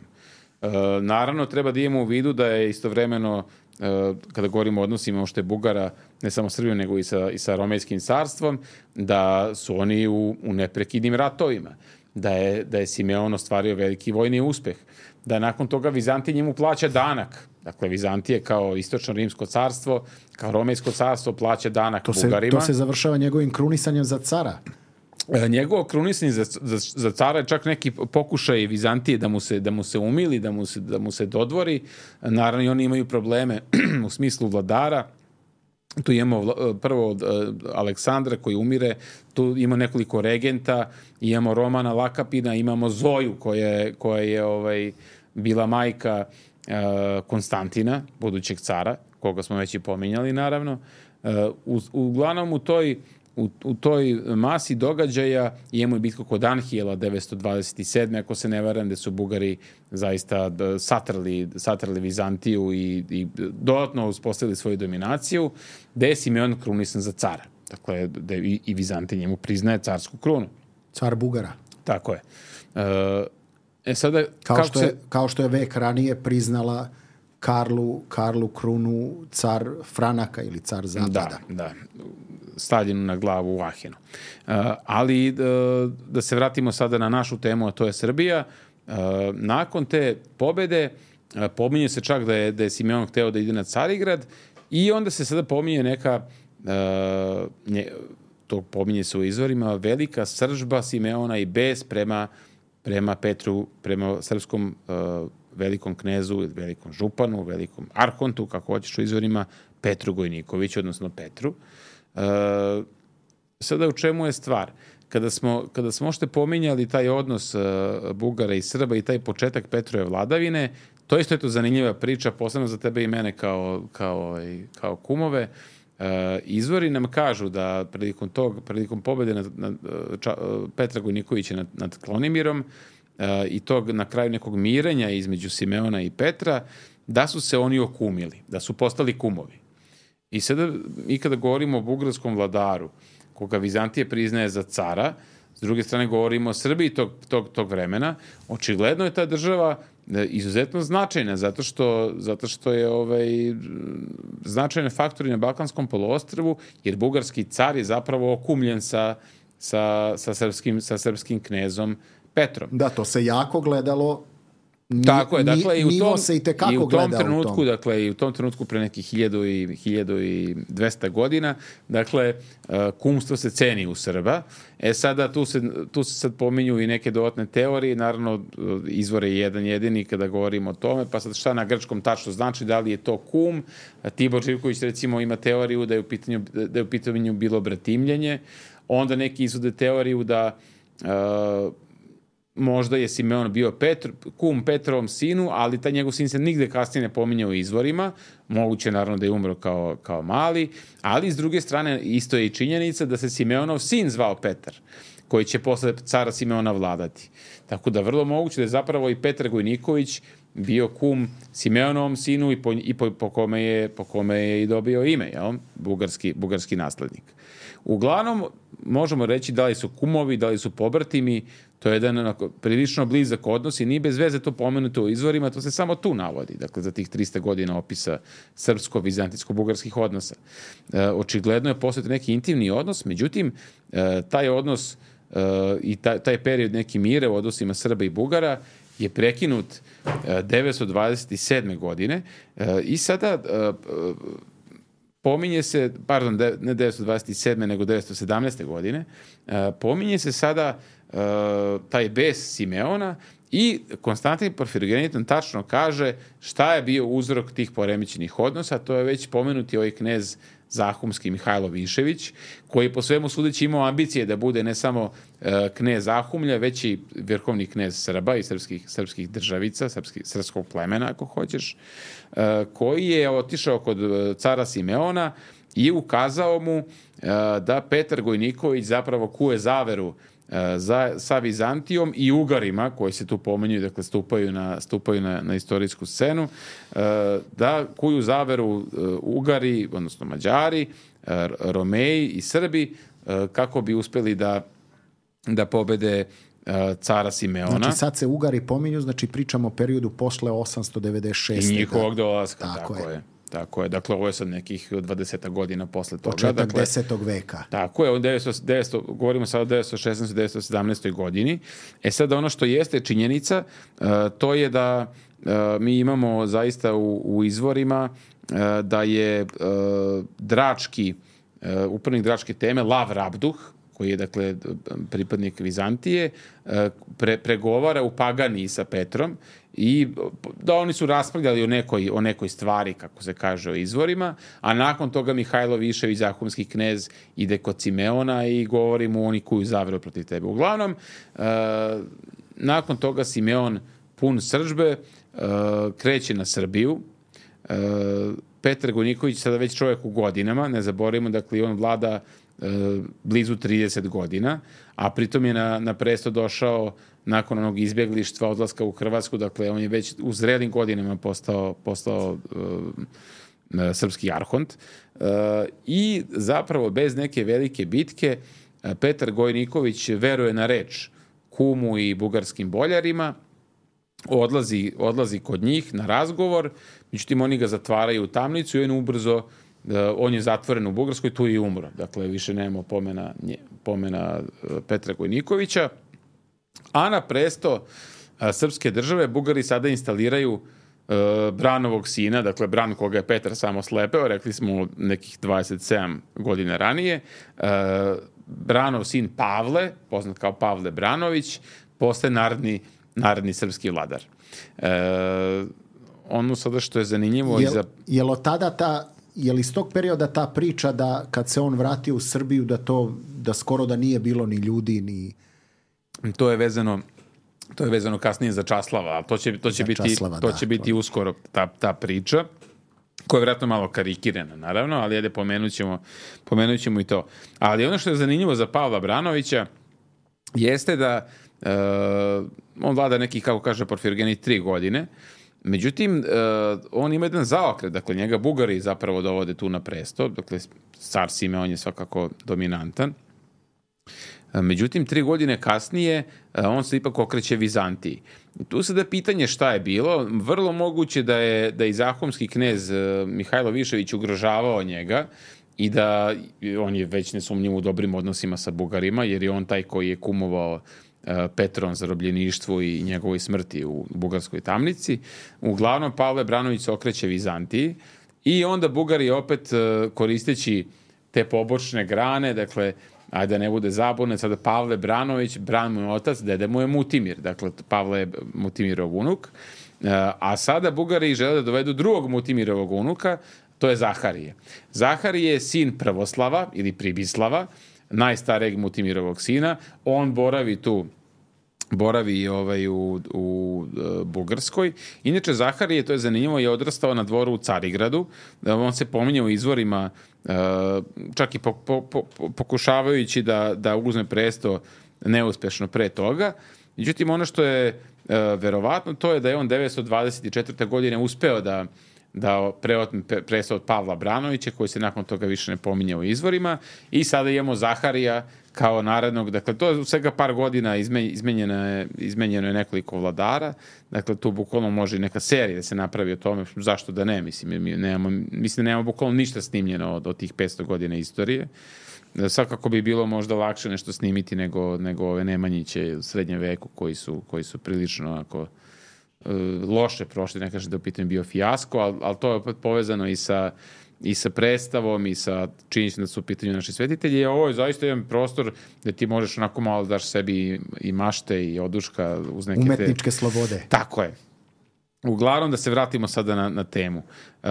Uh, naravno, treba da imamo u vidu da je istovremeno, uh, kada govorimo o odnosima što je Bugara, ne samo Srbijom, nego i sa, i sa Romejskim carstvom, da su oni u, u neprekidnim ratovima, da je, da je Simeon ostvario veliki vojni uspeh, da nakon toga Vizantija njemu plaća danak. Dakle, Vizantije kao istočno rimsko carstvo, kao Romejsko carstvo plaća danak to se, Bugarima. To se završava njegovim krunisanjem za cara. E, njegovo krunisanje za, za, za cara je čak neki pokušaj Vizantije da mu se, da mu se umili, da mu se, da mu se dodvori. Naravno, i oni imaju probleme u smislu vladara. Tu imamo prvo Aleksandra koji umire, tu ima nekoliko regenta, imamo Romana Lakapina, imamo Zoju koja, koja je ovaj, bila majka Konstantina, budućeg cara, koga smo već i pominjali, naravno. U, uglavnom u toj, u, u toj masi događaja imamo i bitku kod Anhijela devetsto dvadeset sedme ako se ne varam, gde su Bugari zaista satrli, satrli Vizantiju i, i dodatno uspostavili svoju dominaciju, gde je Simeon krunisan za cara. Dakle, da i, i Vizantija njemu priznaje carsku krunu. Car Bugara. Tako je. E, E sada, kao, što je, se... kao što je vek ranije priznala Karlu, Karlu krunu car Franaka ili car Zapada. Da, da. Stavljenu na glavu u Ahenu. Uh, ali uh, da se vratimo sada na našu temu, a to je Srbija. Uh, nakon te pobede uh, pominje se čak da je, da je Simeon hteo da ide na Carigrad i onda se sada pominje neka uh, nje, to pominje se u izvorima, velika sržba Simeona i bes prema prema Petru, prema srpskom uh, velikom knezu, velikom županu, velikom arhontu, kako hoćeš u izvorima, Petru Gojnikoviću, odnosno Petru. Uh, sada u čemu je stvar? Kada smo, kada smo ošte pominjali taj odnos uh, Bugara i Srba i taj početak Petrove vladavine, to isto je to zanimljiva priča, posebno za tebe i mene kao, kao, kao kumove. Uh, izvori nam kažu da prilikom tog, prilikom pobede nad, nad, ča, Petra Gojnikovića nad, nad Klonimirom uh, i tog na kraju nekog mirenja između Simeona i Petra, da su se oni okumili, da su postali kumovi. I sada, i kada govorimo o bugarskom vladaru, koga Vizantije priznaje za cara, s druge strane govorimo o Srbiji tog, tog, tog vremena, očigledno je ta država izuzetno značajna, zato što, zato što je ovaj, značajne faktori na Balkanskom poluostrvu, jer bugarski car je zapravo okumljen sa, sa, sa, srpskim, sa srpskim knezom Petrom. Da, to se jako gledalo. Ni, Tako je, dakle, i u tom, se i, i u tom trenutku, u tom. dakle, i u tom trenutku pre nekih hiljadu i, hiljadu i dvesta godina, dakle, uh, kumstvo se ceni u Srba. E sada, tu se, tu se sad pominju i neke dodatne teorije, naravno, izvore jedan jedini kada govorimo o tome, pa sad šta na grčkom tačno znači, da li je to kum. Tibor Živković, recimo, ima teoriju da je u pitanju, da je u pitanju bilo bratimljenje, onda neki izvode teoriju da uh, možda je Simeon bio Petr, kum Petrovom sinu, ali taj njegov sin se nigde kasnije ne pominje u izvorima. Moguće naravno da je umro kao, kao mali, ali s druge strane isto je i činjenica da se Simeonov sin zvao Petar, koji će posle cara Simeona vladati. Tako da vrlo moguće da je zapravo i Petar Gojniković bio kum Simeonovom sinu i po, i po, po, kome, je, po kome je i dobio ime, jel? Bugarski, bugarski naslednik. Uglavnom, možemo reći da li su kumovi, da li su pobratimi, to je jedan onako, prilično blizak odnos i nije bez veze to pomenuto u izvorima, to se samo tu navodi, dakle za tih trista godina opisa srpsko-vizantijsko-bugarskih odnosa. E, očigledno je postojao neki intimni odnos, međutim, e, taj odnos e, i taj, taj period neki mire u odnosima Srba i Bugara je prekinut e, devetsto dvadeset sedme godine e, i sada e, pominje se, pardon, ne devetsto dvadeset sedme nego devetsto sedamnaeste godine, e, pominje se sada e, taj bes Simeona i Konstantin Porfirogeniton tačno kaže šta je bio uzrok tih poremećenih odnosa, to je već pomenuti ovaj knez Zahumski Mihajlo Višević, koji je po svemu sudeći imao ambicije da bude ne samo e, knez Zahumlja, već i vrhovni knez Srba i srpskih, srpskih državica, srpskih, srpskog plemena, ako hoćeš, e, koji je otišao kod cara Simeona i ukazao mu e, da Petar Gojniković zapravo kuje zaveru za, sa Vizantijom i Ugarima, koji se tu pomenjuju, dakle stupaju na, stupaju na, na istorijsku scenu, da kuju zaveru Ugari, odnosno Mađari, Romeji i Srbi, kako bi uspeli da, da pobede cara Simeona. Znači sad se Ugari pominju, znači pričamo o periodu posle osamsto devedeset šeste. I njihovog dolaska, tako, tako je. je. Tako je, dakle ovo je sad nekih dvadeset godina posle toga. Početak dakle, desetog veka. Tako je, devetsto, devetsto, govorimo sad o devetsto šesnaestoj devetsto sedamnaestoj godini. E sad ono što jeste činjenica, uh, to je da uh, mi imamo zaista u, u izvorima uh, da je uh, drački, uh, upravnik dračke teme, Lav Rabduh, koji je dakle pripadnik Vizantije, pre, pregovara u Paganiji sa Petrom i da oni su raspravljali o nekoj, o nekoj stvari, kako se kaže o izvorima, a nakon toga Mihajlo Višević, zahumski knez, ide kod Simeona i govori mu oni kuju zaveru protiv tebe. Uglavnom, uh, nakon toga Simeon pun srdžbe uh, kreće na Srbiju. Uh, Petar Gojniković sada već čovjek u godinama, ne zaboravimo, dakle on vlada blizu trideset godina, a pritom je na, na presto došao nakon onog izbjeglištva, odlaska u Hrvatsku, dakle on je već u zrelim godinama postao, postao uh, srpski arhont. Uh, I zapravo bez neke velike bitke uh, Petar Gojniković veruje na reč kumu i bugarskim boljarima, odlazi, odlazi kod njih na razgovor, međutim oni ga zatvaraju u tamnicu i on ubrzo Uh, on je zatvoren u Bugarskoj, tu i umro. Dakle, više nema pomena, nje, pomena uh, Petra Gojnikovića. A na presto uh, srpske države Bugari sada instaliraju uh, Branovog sina, dakle Bran koga je Petar samo slepeo, rekli smo nekih dvadeset sedam godina ranije. Uh, Branov sin Pavle, poznat kao Pavle Branović, postaje narodni, narodni srpski vladar. Uh, ono sada što je zanimljivo... Jel, iza... jel od tada ta... Je li iz tog perioda ta priča da kad se on vratio u Srbiju da to da skoro da nije bilo ni ljudi ni to je vezano to je vezano kasnije za Časlava, ali to će to će biti Časlava, to da, će biti to. uskoro ta ta priča koja je vjerojatno malo karikirana naravno, ali ajde pomenućemo pomenućemo i to. Ali ono što je zanimljivo za Pavla Branovića jeste da uh, on vlada neki, kako kaže Porfirogenit, tri godine. Međutim, uh, on ima jedan zaokret, dakle njega Bugari zapravo dovode tu na presto, dakle car Simeon je svakako dominantan. Uh, međutim, tri godine kasnije uh, on se ipak okreće Vizantiji. I tu se da pitanje šta je bilo, vrlo moguće da je, da je zahumski knez uh, Mihajlo Višević ugrožavao njega i da on je već nesumnjivo u dobrim odnosima sa Bugarima, jer je on taj koji je kumovao Petron zarobljeništvu i njegovoj smrti u bugarskoj tamnici. Uglavnom, Pavle Branović se okreće Vizantiji i onda Bugari opet koristeći te pobočne grane, dakle, ajde da ne bude zabune, sada Pavle Branović, Bran mu je otac, dede mu je Mutimir, dakle, Pavle je Mutimirov unuk, a sada Bugari žele da dovedu drugog Mutimirovog unuka, to je Zaharije. Zaharije je sin Prvoslava ili Pribislava, najstarijeg Mutimirovog sina, on boravi tu boravi ovaj u, u, u Bugarskoj. Inače, Zaharije, to je zanimljivo, je odrastao na dvoru u Carigradu. On se pominje u izvorima, čak i po, po, po, pokušavajući da, da uzme presto neuspešno pre toga. Međutim, ono što je e, verovatno, to je da je on devetsto dvadeset četvrte. godine uspeo da da preotme presto od Pavla Branovića, koji se nakon toga više ne pominje u izvorima, i sada imamo Zaharija kao narednog, dakle to je u svega par godina izmenjeno je, izmenjeno je nekoliko vladara, dakle tu bukvalno može i neka serija da se napravi o tome, zašto da ne, mislim, mi nemamo, mislim da nemamo bukvalno ništa snimljeno od, od tih petsto godina istorije. Svakako bi bilo možda lakše nešto snimiti nego, nego ove Nemanjiće u srednjem veku koji su, koji su prilično onako loše prošli, ne kažem da je u pitanju bio fijasko, ali, ali to je opet povezano i sa, i sa predstavom i sa činjenicom da su u pitanju naši svetitelji. Ovo je zaista jedan prostor gde ti možeš onako malo daš sebi i mašte i oduška uz neke umetničke te... slobode. Tako je. Uglavnom da se vratimo sada na, na temu. Uh,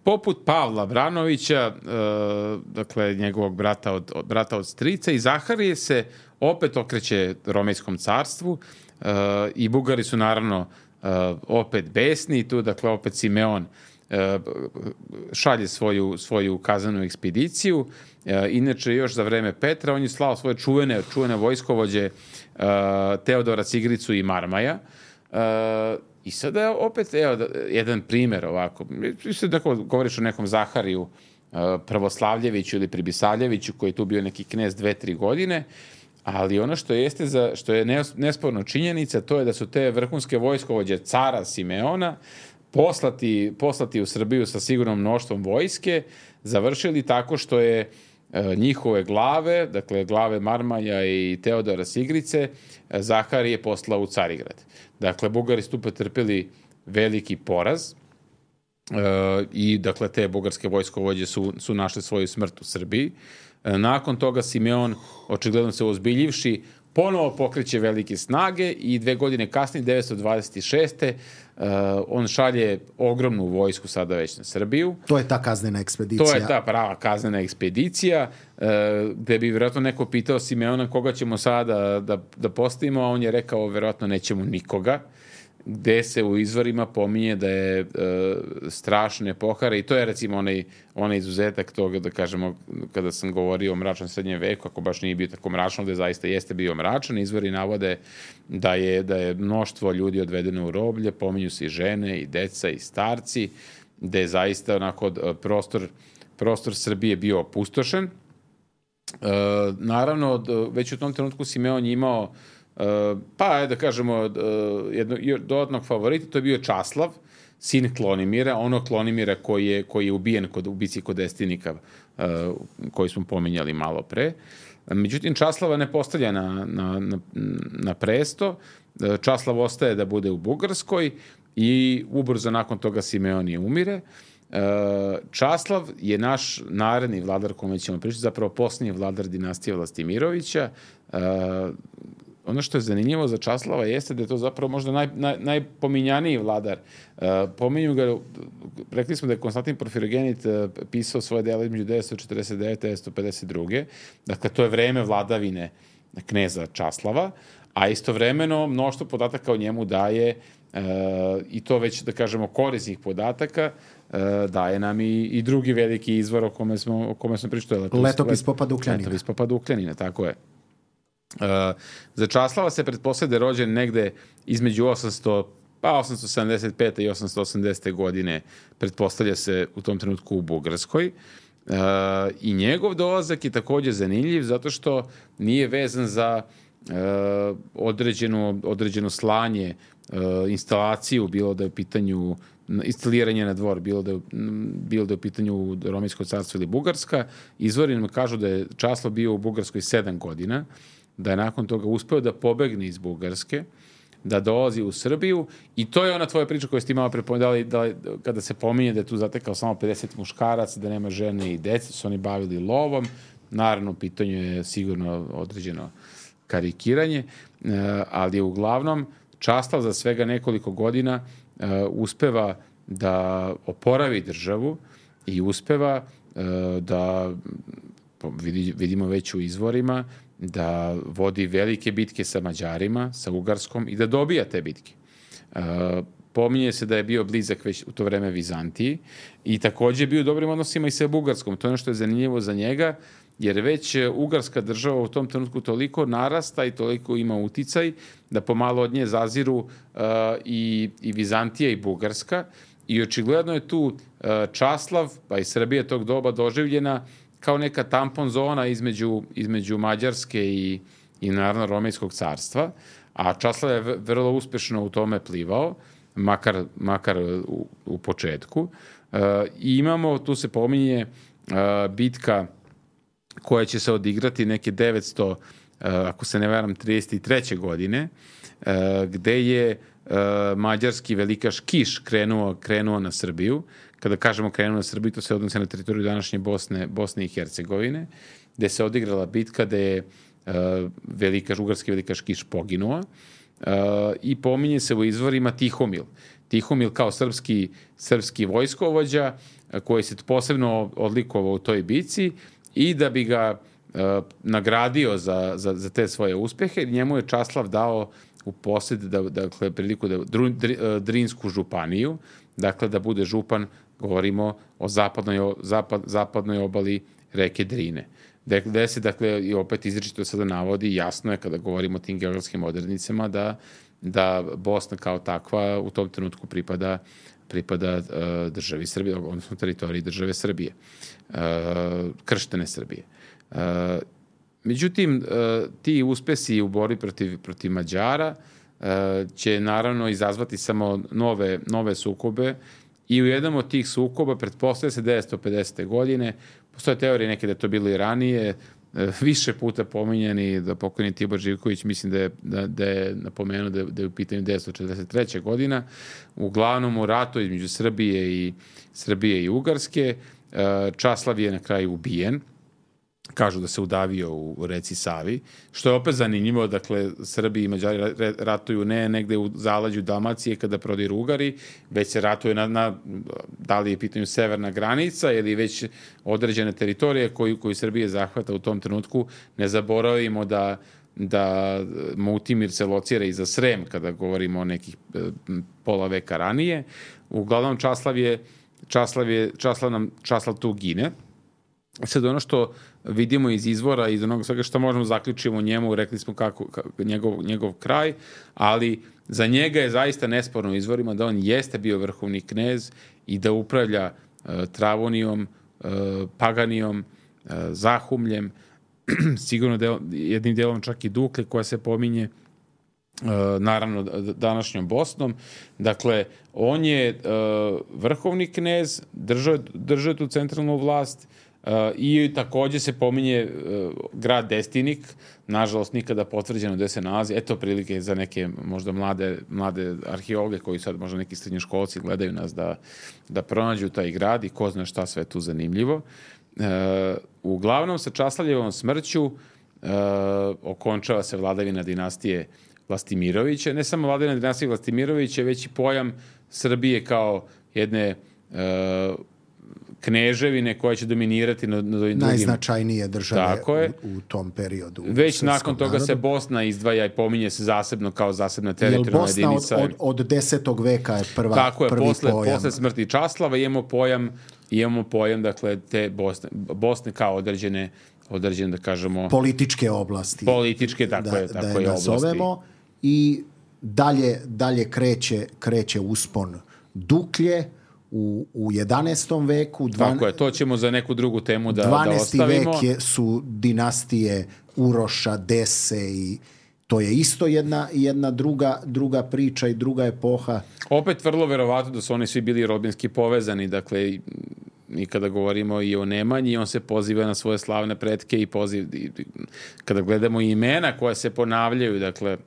poput Pavla Branovića, uh, dakle njegovog brata od, od, brata od strica, i Zaharije se opet okreće Romejskom carstvu, uh, i Bugari su naravno uh, opet besni, tu dakle opet Simeon uh, šalje svoju, svoju kaznenu ekspediciju. Uh, inače još za vreme Petra on je slao svoje čuvene, čuvene vojskovođe uh, Teodora Cigricu i Marmaja. Uh, I sada opet, evo, jedan primer ovako, mislim da govoriš o nekom Zahariju uh, Pravoslavljeviću ili Pribisavljeviću, koji je tu bio neki knez dve, tri godine, ali ono što jeste, za, što je nesporno činjenica, to je da su te vrhunske vojskovođe cara Simeona poslati, poslati u Srbiju sa sigurnom mnoštvom vojske, završili tako što je njihove glave, dakle glave Marmaja i Teodora Sigrice, Zaharije poslao u Carigrad. Dakle, Bugari su tu pretrpeli veliki poraz e, i dakle te bugarske vojskovođe su, su našli svoju smrt u Srbiji. E, nakon toga Simeon, očigledno se ozbiljivši, ponovo pokreće velike snage i dve godine kasnije, devetsto dvadeset šeste. Uh, on šalje ogromnu vojsku sada već na Srbiju. To je ta kaznena ekspedicija. To je ta prava kaznena ekspedicija, uh, gde bi vjerojatno neko pitao Simeona koga ćemo sada da, da postavimo, a on je rekao vjerojatno nećemo nikoga, gde se u izvorima pominje da je uh, strašne pohare, i to je recimo onaj, onaj izuzetak toga, da kažemo, kada sam govorio o mračnom srednjem veku, ako baš nije bio tako mračno, gde zaista jeste bio mračan, izvori navode da je, da je mnoštvo ljudi odvedeno u roblje, pominju se i žene, i deca, i starci, gde je zaista onako prostor, prostor Srbije bio opustošen. Uh, naravno, već u tom trenutku Simeon je imao Uh, pa, da kažemo, uh, jedno, dodatnog favorita, to je bio Časlav, sin Klonimira, ono Klonimira koji je, koji je ubijen kod ubici kod Destinika, uh, koji smo pominjali malo pre. Međutim, Časlava ne postavlja na, na, na, na presto, Časlav ostaje da bude u Bugarskoj i ubrzo nakon toga Simeon je umire. Uh, Časlav je naš naredni vladar kome ćemo pričati, zapravo posljednji vladar dinastije Vlastimirovića. Uh, Ono što je zanimljivo za Časlava jeste da je to zapravo možda naj, naj, najpominjaniji vladar. Uh, pominju ga, rekli smo da je Konstantin Porfirogenit uh, pisao svoje delo između devetsto četrdeset devete i devetsto pedeset druge. Dakle, to je vreme vladavine kneza Časlava, a istovremeno mnoštvo podataka o njemu daje, uh, i to već, da kažemo, korisnih podataka, uh, daje nam i, i drugi veliki izvor o kome smo, o kome smo pričali. Letopis, Letopis Popa Dukljanina. Letopis Popa Dukljanina, tako je. Uh, za Časlava se pretpostavlja da je rođen negde između osamsto, pa osamsto sedamdeset pete i osamsto osamdesete godine, pretpostavlja se u tom trenutku u Bugarskoj. Uh, I njegov dolazak je takođe zanimljiv zato što nije vezan za uh, određeno, određeno slanje, uh, instalaciju, bilo da je u pitanju instaliranje na dvor, bilo da je, bilo da je u pitanju Romejsko carstvo ili Bugarska. Izvori nam kažu da je Časlav bio u Bugarskoj sedam godina, da je nakon toga uspeo da pobegne iz Bugarske, da dolazi u Srbiju, i to je ona tvoja priča koju ste imala prepovedali, da, kada se pominje da je tu zatekao samo pedeset muškaraca, da nema žene i dece, su oni bavili lovom. Naravno, u pitanju je sigurno određeno karikiranje, ali je uglavnom Časlav za svega nekoliko godina uspeva da oporavi državu i uspeva da, vidimo već u izvorima, da vodi velike bitke sa Mađarima, sa Ugarskom, i da dobija te bitke. Uh, pominje se da je bio blizak već u to vreme Vizantiji i takođe je bio u dobrim odnosima i sa Bugarskom. To je ono što je zanimljivo za njega, jer već Ugarska država u tom trenutku toliko narasta i toliko ima uticaj da pomalo od nje zaziru uh, i, i Vizantija i Bugarska. I očigledno je tu uh, Časlav, pa i Srbija tog doba doživljena kao neka tampon zona između, između Mađarske i, i naravno Romejskog carstva. A Časlav je vrlo uspešno u tome plivao, makar, makar u, u početku. Uh, I imamo, tu se pominje uh, bitka koja će se odigrati neke devetsto, uh, ako se ne varam, trideset treće godine, uh, gde je uh, mađarski velikaš Kiš krenuo, krenuo na Srbiju. Kada kažemo krenuo na Srbiju, to se odnosi na teritoriju današnje Bosne, Bosne i Hercegovine, gde se odigrala bitka, gde je uh, velikaš, ugarski velikaš Kiš poginuo. Uh, I pominje se u izvorima Tihomil. Tihomil kao srpski, srpski vojskovođa uh, koji se posebno odlikovao u toj bici i da bi ga uh, nagradio za, za, za te svoje uspehe, njemu je Časlav dao u posjed, da, dakle, priliku da dru, dr, Drinsku županiju, dakle da bude župan, govorimo o zapadnoj, zapad, zapadnoj obali reke Drine. Gde se, dakle, i opet izričito sada navodi, jasno je kada govorimo o tim geografskim odrednicama da, da Bosna kao takva u tom trenutku pripada, pripada uh, državi Srbije, odnosno teritoriji države Srbije, uh, krštene Srbije. Uh, međutim, uh, ti uspesi u borbi protiv, protiv Mađara uh, će naravno izazvati samo nove, nove sukobe i u jednom od tih sukoba, pretpostavlja se devetsto pedesete godine, postoje teorije neke da je to bilo i ranije, više puta pominjeni, da pokojni Tibor Živković, mislim da je, da, da je napomenuo da, da je u pitanju devetsto četrdeset treća godina, uglavnom u ratu između Srbije i, Srbije i Ugarske. Časlav je na kraju ubijen, kažu da se udavio u reci Savi, što je opet zanimljivo, dakle, Srbi i Mađari ratuju ne negde u zaleđu Dalmacije kada prodiru Ugari, već se ratuje na, na da li je pitanju severna granica ili već određene teritorije koju, koju Srbije zahvata u tom trenutku. Ne zaboravimo da, da Mutimir se locira iza Srem kada govorimo o nekih pola veka ranije. Uglavnom, Časlav je, Časlav je, Časlav nam, Časlav tu gine. Sad ono što vidimo iz izvora, iz onoga svega što možemo zaključiti o njemu, rekli smo kako, kako njegov, njegov kraj, ali za njega je zaista nesporno u izvorima da on jeste bio vrhovni knez i da upravlja uh, Travonijom, uh, Paganijom, uh, Zahumljem, sigurno del, jednim delom čak i Dukle koja se pominje, uh, naravno današnjom Bosnom. Dakle, on je uh, vrhovni knez, držao, držao tu centralnu vlast, Uh, i takođe se pominje uh, grad Destinik, nažalost nikada potvrđeno gde se nalazi. Eto prilike za neke možda mlade, mlade arheologe koji sad možda neki srednjoškolci gledaju nas da, da pronađu taj grad i ko zna šta sve tu zanimljivo. Uh, uglavnom sa Časlavljevom smrću uh, okončava se vladavina dinastije Vlastimirovića. Ne samo vladavina dinastije Vlastimirovića, već i pojam Srbije kao jedne uh, kneževine koja će dominirati na, na drugim... Najznačajnije države u, u tom periodu. Već nakon toga narodu se Bosna izdvaja i pominje se zasebno kao zasebna teritorijalna jedinica. Jel Bosna od, od, od desetog veka je prva, tako je, prvi posle, pojam? Posle smrti Časlava imamo pojam, imamo pojam dakle, te Bosne, Bosne kao određene, određene, da kažemo... Političke oblasti. Političke, tako da, je, tako da je oblasti. I dalje, dalje kreće, kreće uspon Duklje, U, u jedanaestom veku. Dvan... Tako je, to ćemo za neku drugu temu da, da dvanaesti ostavimo. vek je, su dinastije Uroša, Dese i to je isto jedna, jedna druga, druga priča i druga epoha. Opet vrlo verovatno da su oni svi bili rodbinski povezani, dakle i kada govorimo i o Nemanji, on se poziva na svoje slavne pretke i poziv, i, kada gledamo imena koja se ponavljaju, dakle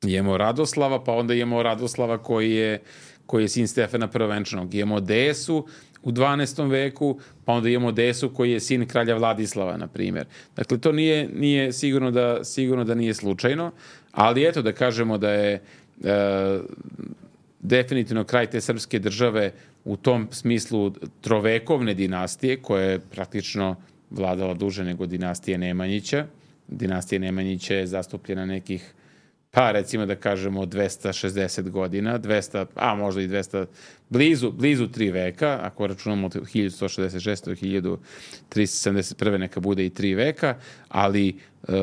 imamo Radoslava, pa onda imamo Radoslava koji je koji je sin Stefana Prvenčanog. Imamo Desu u dvanaestom veku, pa onda imamo Desu koji je sin kralja Vladislava, na primjer. Dakle, to nije, nije sigurno, da, sigurno da nije slučajno, ali eto da kažemo da je e, definitivno kraj te srpske države u tom smislu trovekovne dinastije, koja je praktično vladala duže nego dinastije Nemanjića. Dinastija Nemanjića je zastupljena nekih pa recimo da kažemo dvesta šezdeset godina, dvesta, a možda i dvesta, blizu, blizu tri veka, ako računamo od hiljadu sto šezdeset šeste do hiljadu tristo sedamdeset prve neka bude i tri veka, ali e,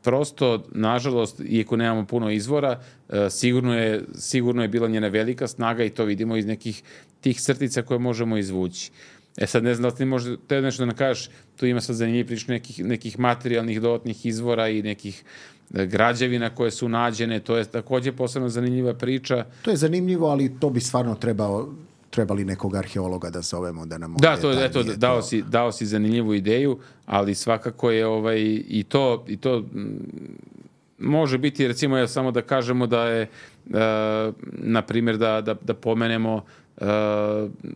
prosto, nažalost, iako nemamo puno izvora, e, sigurno, je, sigurno je bila njena velika snaga i to vidimo iz nekih tih crtica koje možemo izvući. E sad ne znam da li ti možda te nešto da nam kažeš, tu ima sad zanimljiv prič nekih, nekih materijalnih dodatnih izvora i nekih građevina koje su nađene, to je također posebno zanimljiva priča. To je zanimljivo, ali to bi stvarno trebao, trebali nekog arheologa da zovemo da nam... Da, to, eto, dao, si, dao si zanimljivu ideju, ali svakako je ovaj, i to, i to može biti, recimo, ja samo da kažemo da je, uh, na primjer, da, da, da pomenemo Uh,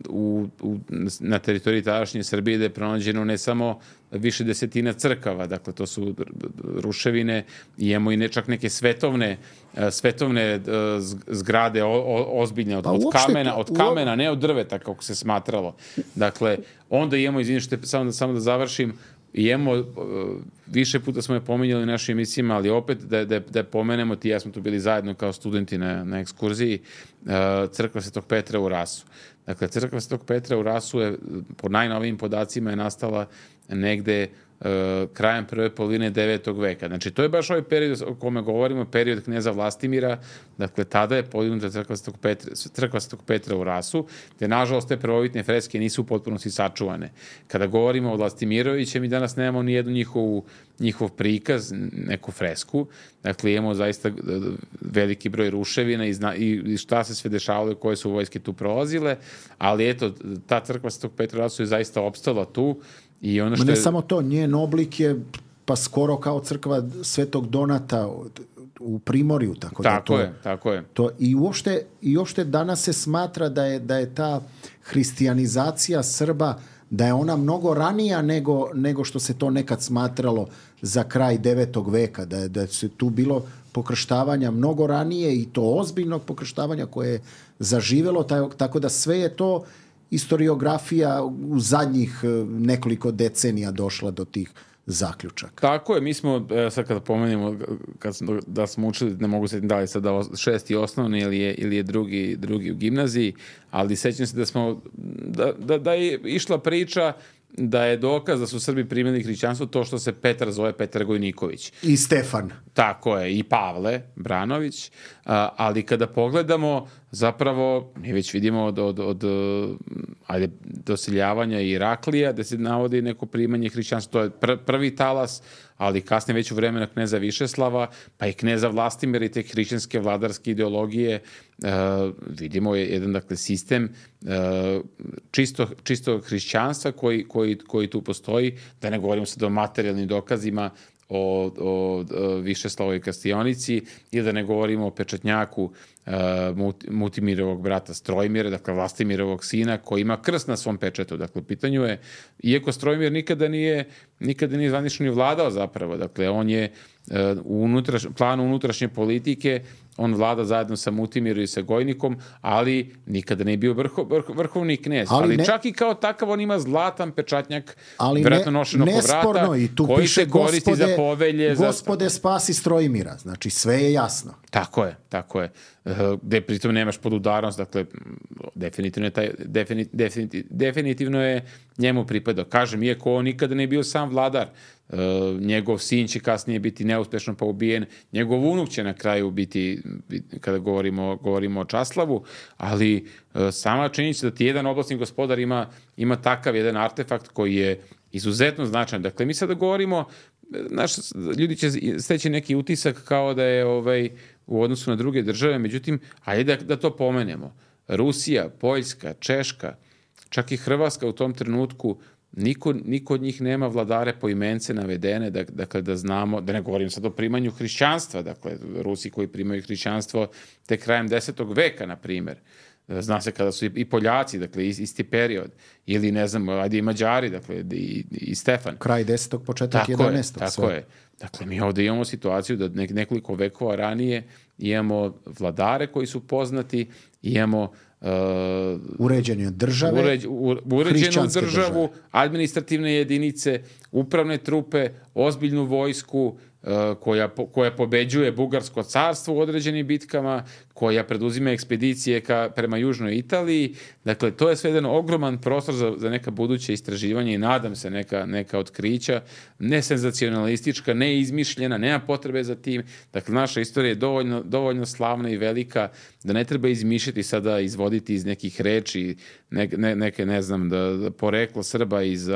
u, u, na teritoriji tadašnje Srbije da je pronađeno ne samo više desetina crkava, dakle to su ruševine, imamo i ne čak neke svetovne uh, svetovne uh, zgrade o, o, ozbiljne od, od kamena, od kamena, ne od drveta kako se smatralo. Dakle, onda imamo, izvini što samo da, samo da završim, imamo, uh, više puta smo je pominjali u našim emisijama, ali opet da, da, da pomenemo, ti ja smo tu bili zajedno kao studenti na, na ekskurziji, uh, crkva Svetog Petra u Rasu. Dakle, crkva Svetog Petra u Rasu je, po najnovijim podacima, je nastala negde uh, krajem prve polovine devetog veka. Znači, to je baš ovaj period o kome govorimo, period kneza Vlastimira. Dakle, tada je podignuta crkva Svetog Petra, crkva Svetog Petra u Rasu, gde, nažalost, te prvobitne freske nisu u potpunosti sačuvane. Kada govorimo o Vlastimirovićem, mi danas nemamo ni jednu njihovu, njihov prikaz, neku fresku. Dakle, imamo zaista veliki broj ruševina i, zna, i šta se sve dešavalo, koje su vojske tu prolazile, ali eto, ta crkva Svetog Petra u Rasu je zaista opstala tu. I ono što ne je... samo to, njen oblik je pa skoro kao crkva Svetog Donata u Primorju, tako, tako da to je, tako je. To i uopšte i uopšte danas se smatra da je da je ta hrišćanizacija Srba, da je ona mnogo ranija nego, nego što se to nekad smatralo za kraj devetog veka, da je, da se tu bilo pokrštavanja mnogo ranije i to ozbiljnog pokrštavanja koje je zaživelo, tako da sve je to historiografija u zadnjih nekoliko decenija došla do tih zaključaka. Tako je, mi smo, sad kada pomenemo, kad smo, da smo učili, ne mogu se da li sad da šesti osnovni ili je, ili je drugi, drugi u gimnaziji, ali sećam se da smo, da, da, da je išla priča da je dokaz da su Srbi primili hrišćanstvo to što se Petar zove Petar Gojniković. I Stefan. Tako je, i Pavle Branović, a, ali kada pogledamo, zapravo, mi već vidimo od, od, od ajde, doseljavanja Iraklija, da se navodi neko primanje hrišćanstva, to je pr, prvi talas, ali kasnije već u vremena kneza Višeslava, pa i kneza Vlastimira i te hrišćanske vladarske ideologije, uh, vidimo je jedan, dakle, sistem uh, čisto, čisto hrišćanstva koji, koji, koji tu postoji, da ne govorimo sad o materijalnim dokazima, o, o, o Višeslavoj Kastionici, ili da ne govorimo o pečatnjaku uh, Mutimirovog brata Strojmira, dakle Vlastimirovog sina, koji ima krst na svom pečetu. Dakle, u pitanju je, iako Strojmir nikada nije, nikada nije zvanično ni vladao zapravo, dakle, on je uh, u unutraš, planu unutrašnje politike, on vlada zajedno sa Mutimirom i sa Gojnikom, ali nikada nije bio vrho, vrho, vrhovni knez. Ali, ali ne, čak i kao takav on ima zlatan pečatnjak, vjerojatno nošen oko vrata, i tu koji piše se koristi gospode, za povelje. Gospode, za... spasi Strojmira. Znači, sve je jasno. Tako je, tako je. Gde pritom nemaš podudarnost, dakle, definitivno je, taj, definit, definit, definitivno je njemu pripadao. Kažem, iako on nikada ne bio sam vladar, Uh, njegov sin će kasnije biti neuspešno pa ubijen, njegov unuk će na kraju biti, kada govorimo, govorimo o Časlavu, ali uh, sama činjenica da ti jedan oblastni gospodar ima, ima takav jedan artefakt koji je izuzetno značajan. Dakle, mi sada govorimo, naš, ljudi će steći neki utisak kao da je ovaj, u odnosu na druge države, međutim, ajde da, da to pomenemo. Rusija, Poljska, Češka, čak i Hrvatska u tom trenutku, Niko, niko od njih nema vladare po imence navedene, dakle da znamo, da ne govorim sad o primanju hrišćanstva, dakle Rusi koji primaju hrišćanstvo te krajem desetog veka, na primjer. Zna se kada su i Poljaci, dakle isti period, ili ne znam, ajde i Mađari, dakle i, i Stefan. Kraj desetog, početak jedanaestog. Tako sve. je, dakle mi ovdje imamo situaciju da nekoliko vekova ranije imamo vladare koji su poznati, imamo Uh, uređenje države, uređ, u, uređenu državu, države. Administrativne jedinice, upravne trupe, ozbiljnu vojsku, koja, koja pobeđuje Bugarsko carstvo u određenim bitkama, koja preduzima ekspedicije ka, prema južnoj Italiji. Dakle, to je sve jedan ogroman prostor za, za neka buduće istraživanja i nadam se neka, neka otkrića, ne senzacionalistička, ne izmišljena, nema potrebe za tim. Dakle, naša istorija je dovoljno, dovoljno slavna i velika da ne treba izmišljati sada, izvoditi iz nekih reči, ne, ne, neke, ne znam, da, da poreklo Srba iz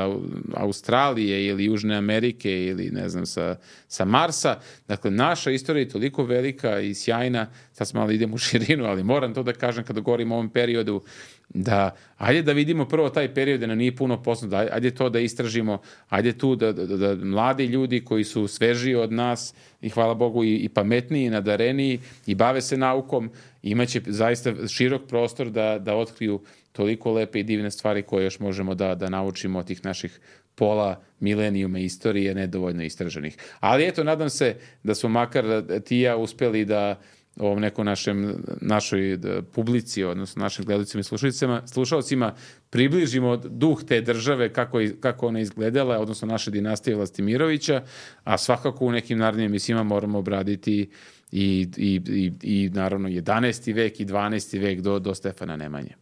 Australije ili Južne Amerike ili, ne znam, sa, sa Marsa. Dakle, naša istorija je toliko velika i sjajna, sad smo malo idemo u širinu, ali moram to da kažem kada govorim o ovom periodu, da ajde da vidimo prvo taj period da nam nije puno poznato, ajde, ajde to da istražimo, ajde tu da, da, da mladi ljudi koji su svežiji od nas i hvala Bogu i, i pametniji, i nadareniji i bave se naukom, imaće zaista širok prostor da, da otkriju toliko lepe i divne stvari koje još možemo da, da naučimo od tih naših pola milenijuma istorije nedovoljno istraženih. Ali eto, nadam se da smo makar ti i ja uspeli da ovom nekom našem, našoj publici, odnosno našim gledalcima i slušalcima, približimo duh te države, kako, kako ona izgledala, odnosno naše dinastije Vlastimirovića, a svakako u nekim narednim emisijama moramo obraditi i, i, i, i naravno jedanaesti vek i dvanaesti vek do, do Stefana Nemanje.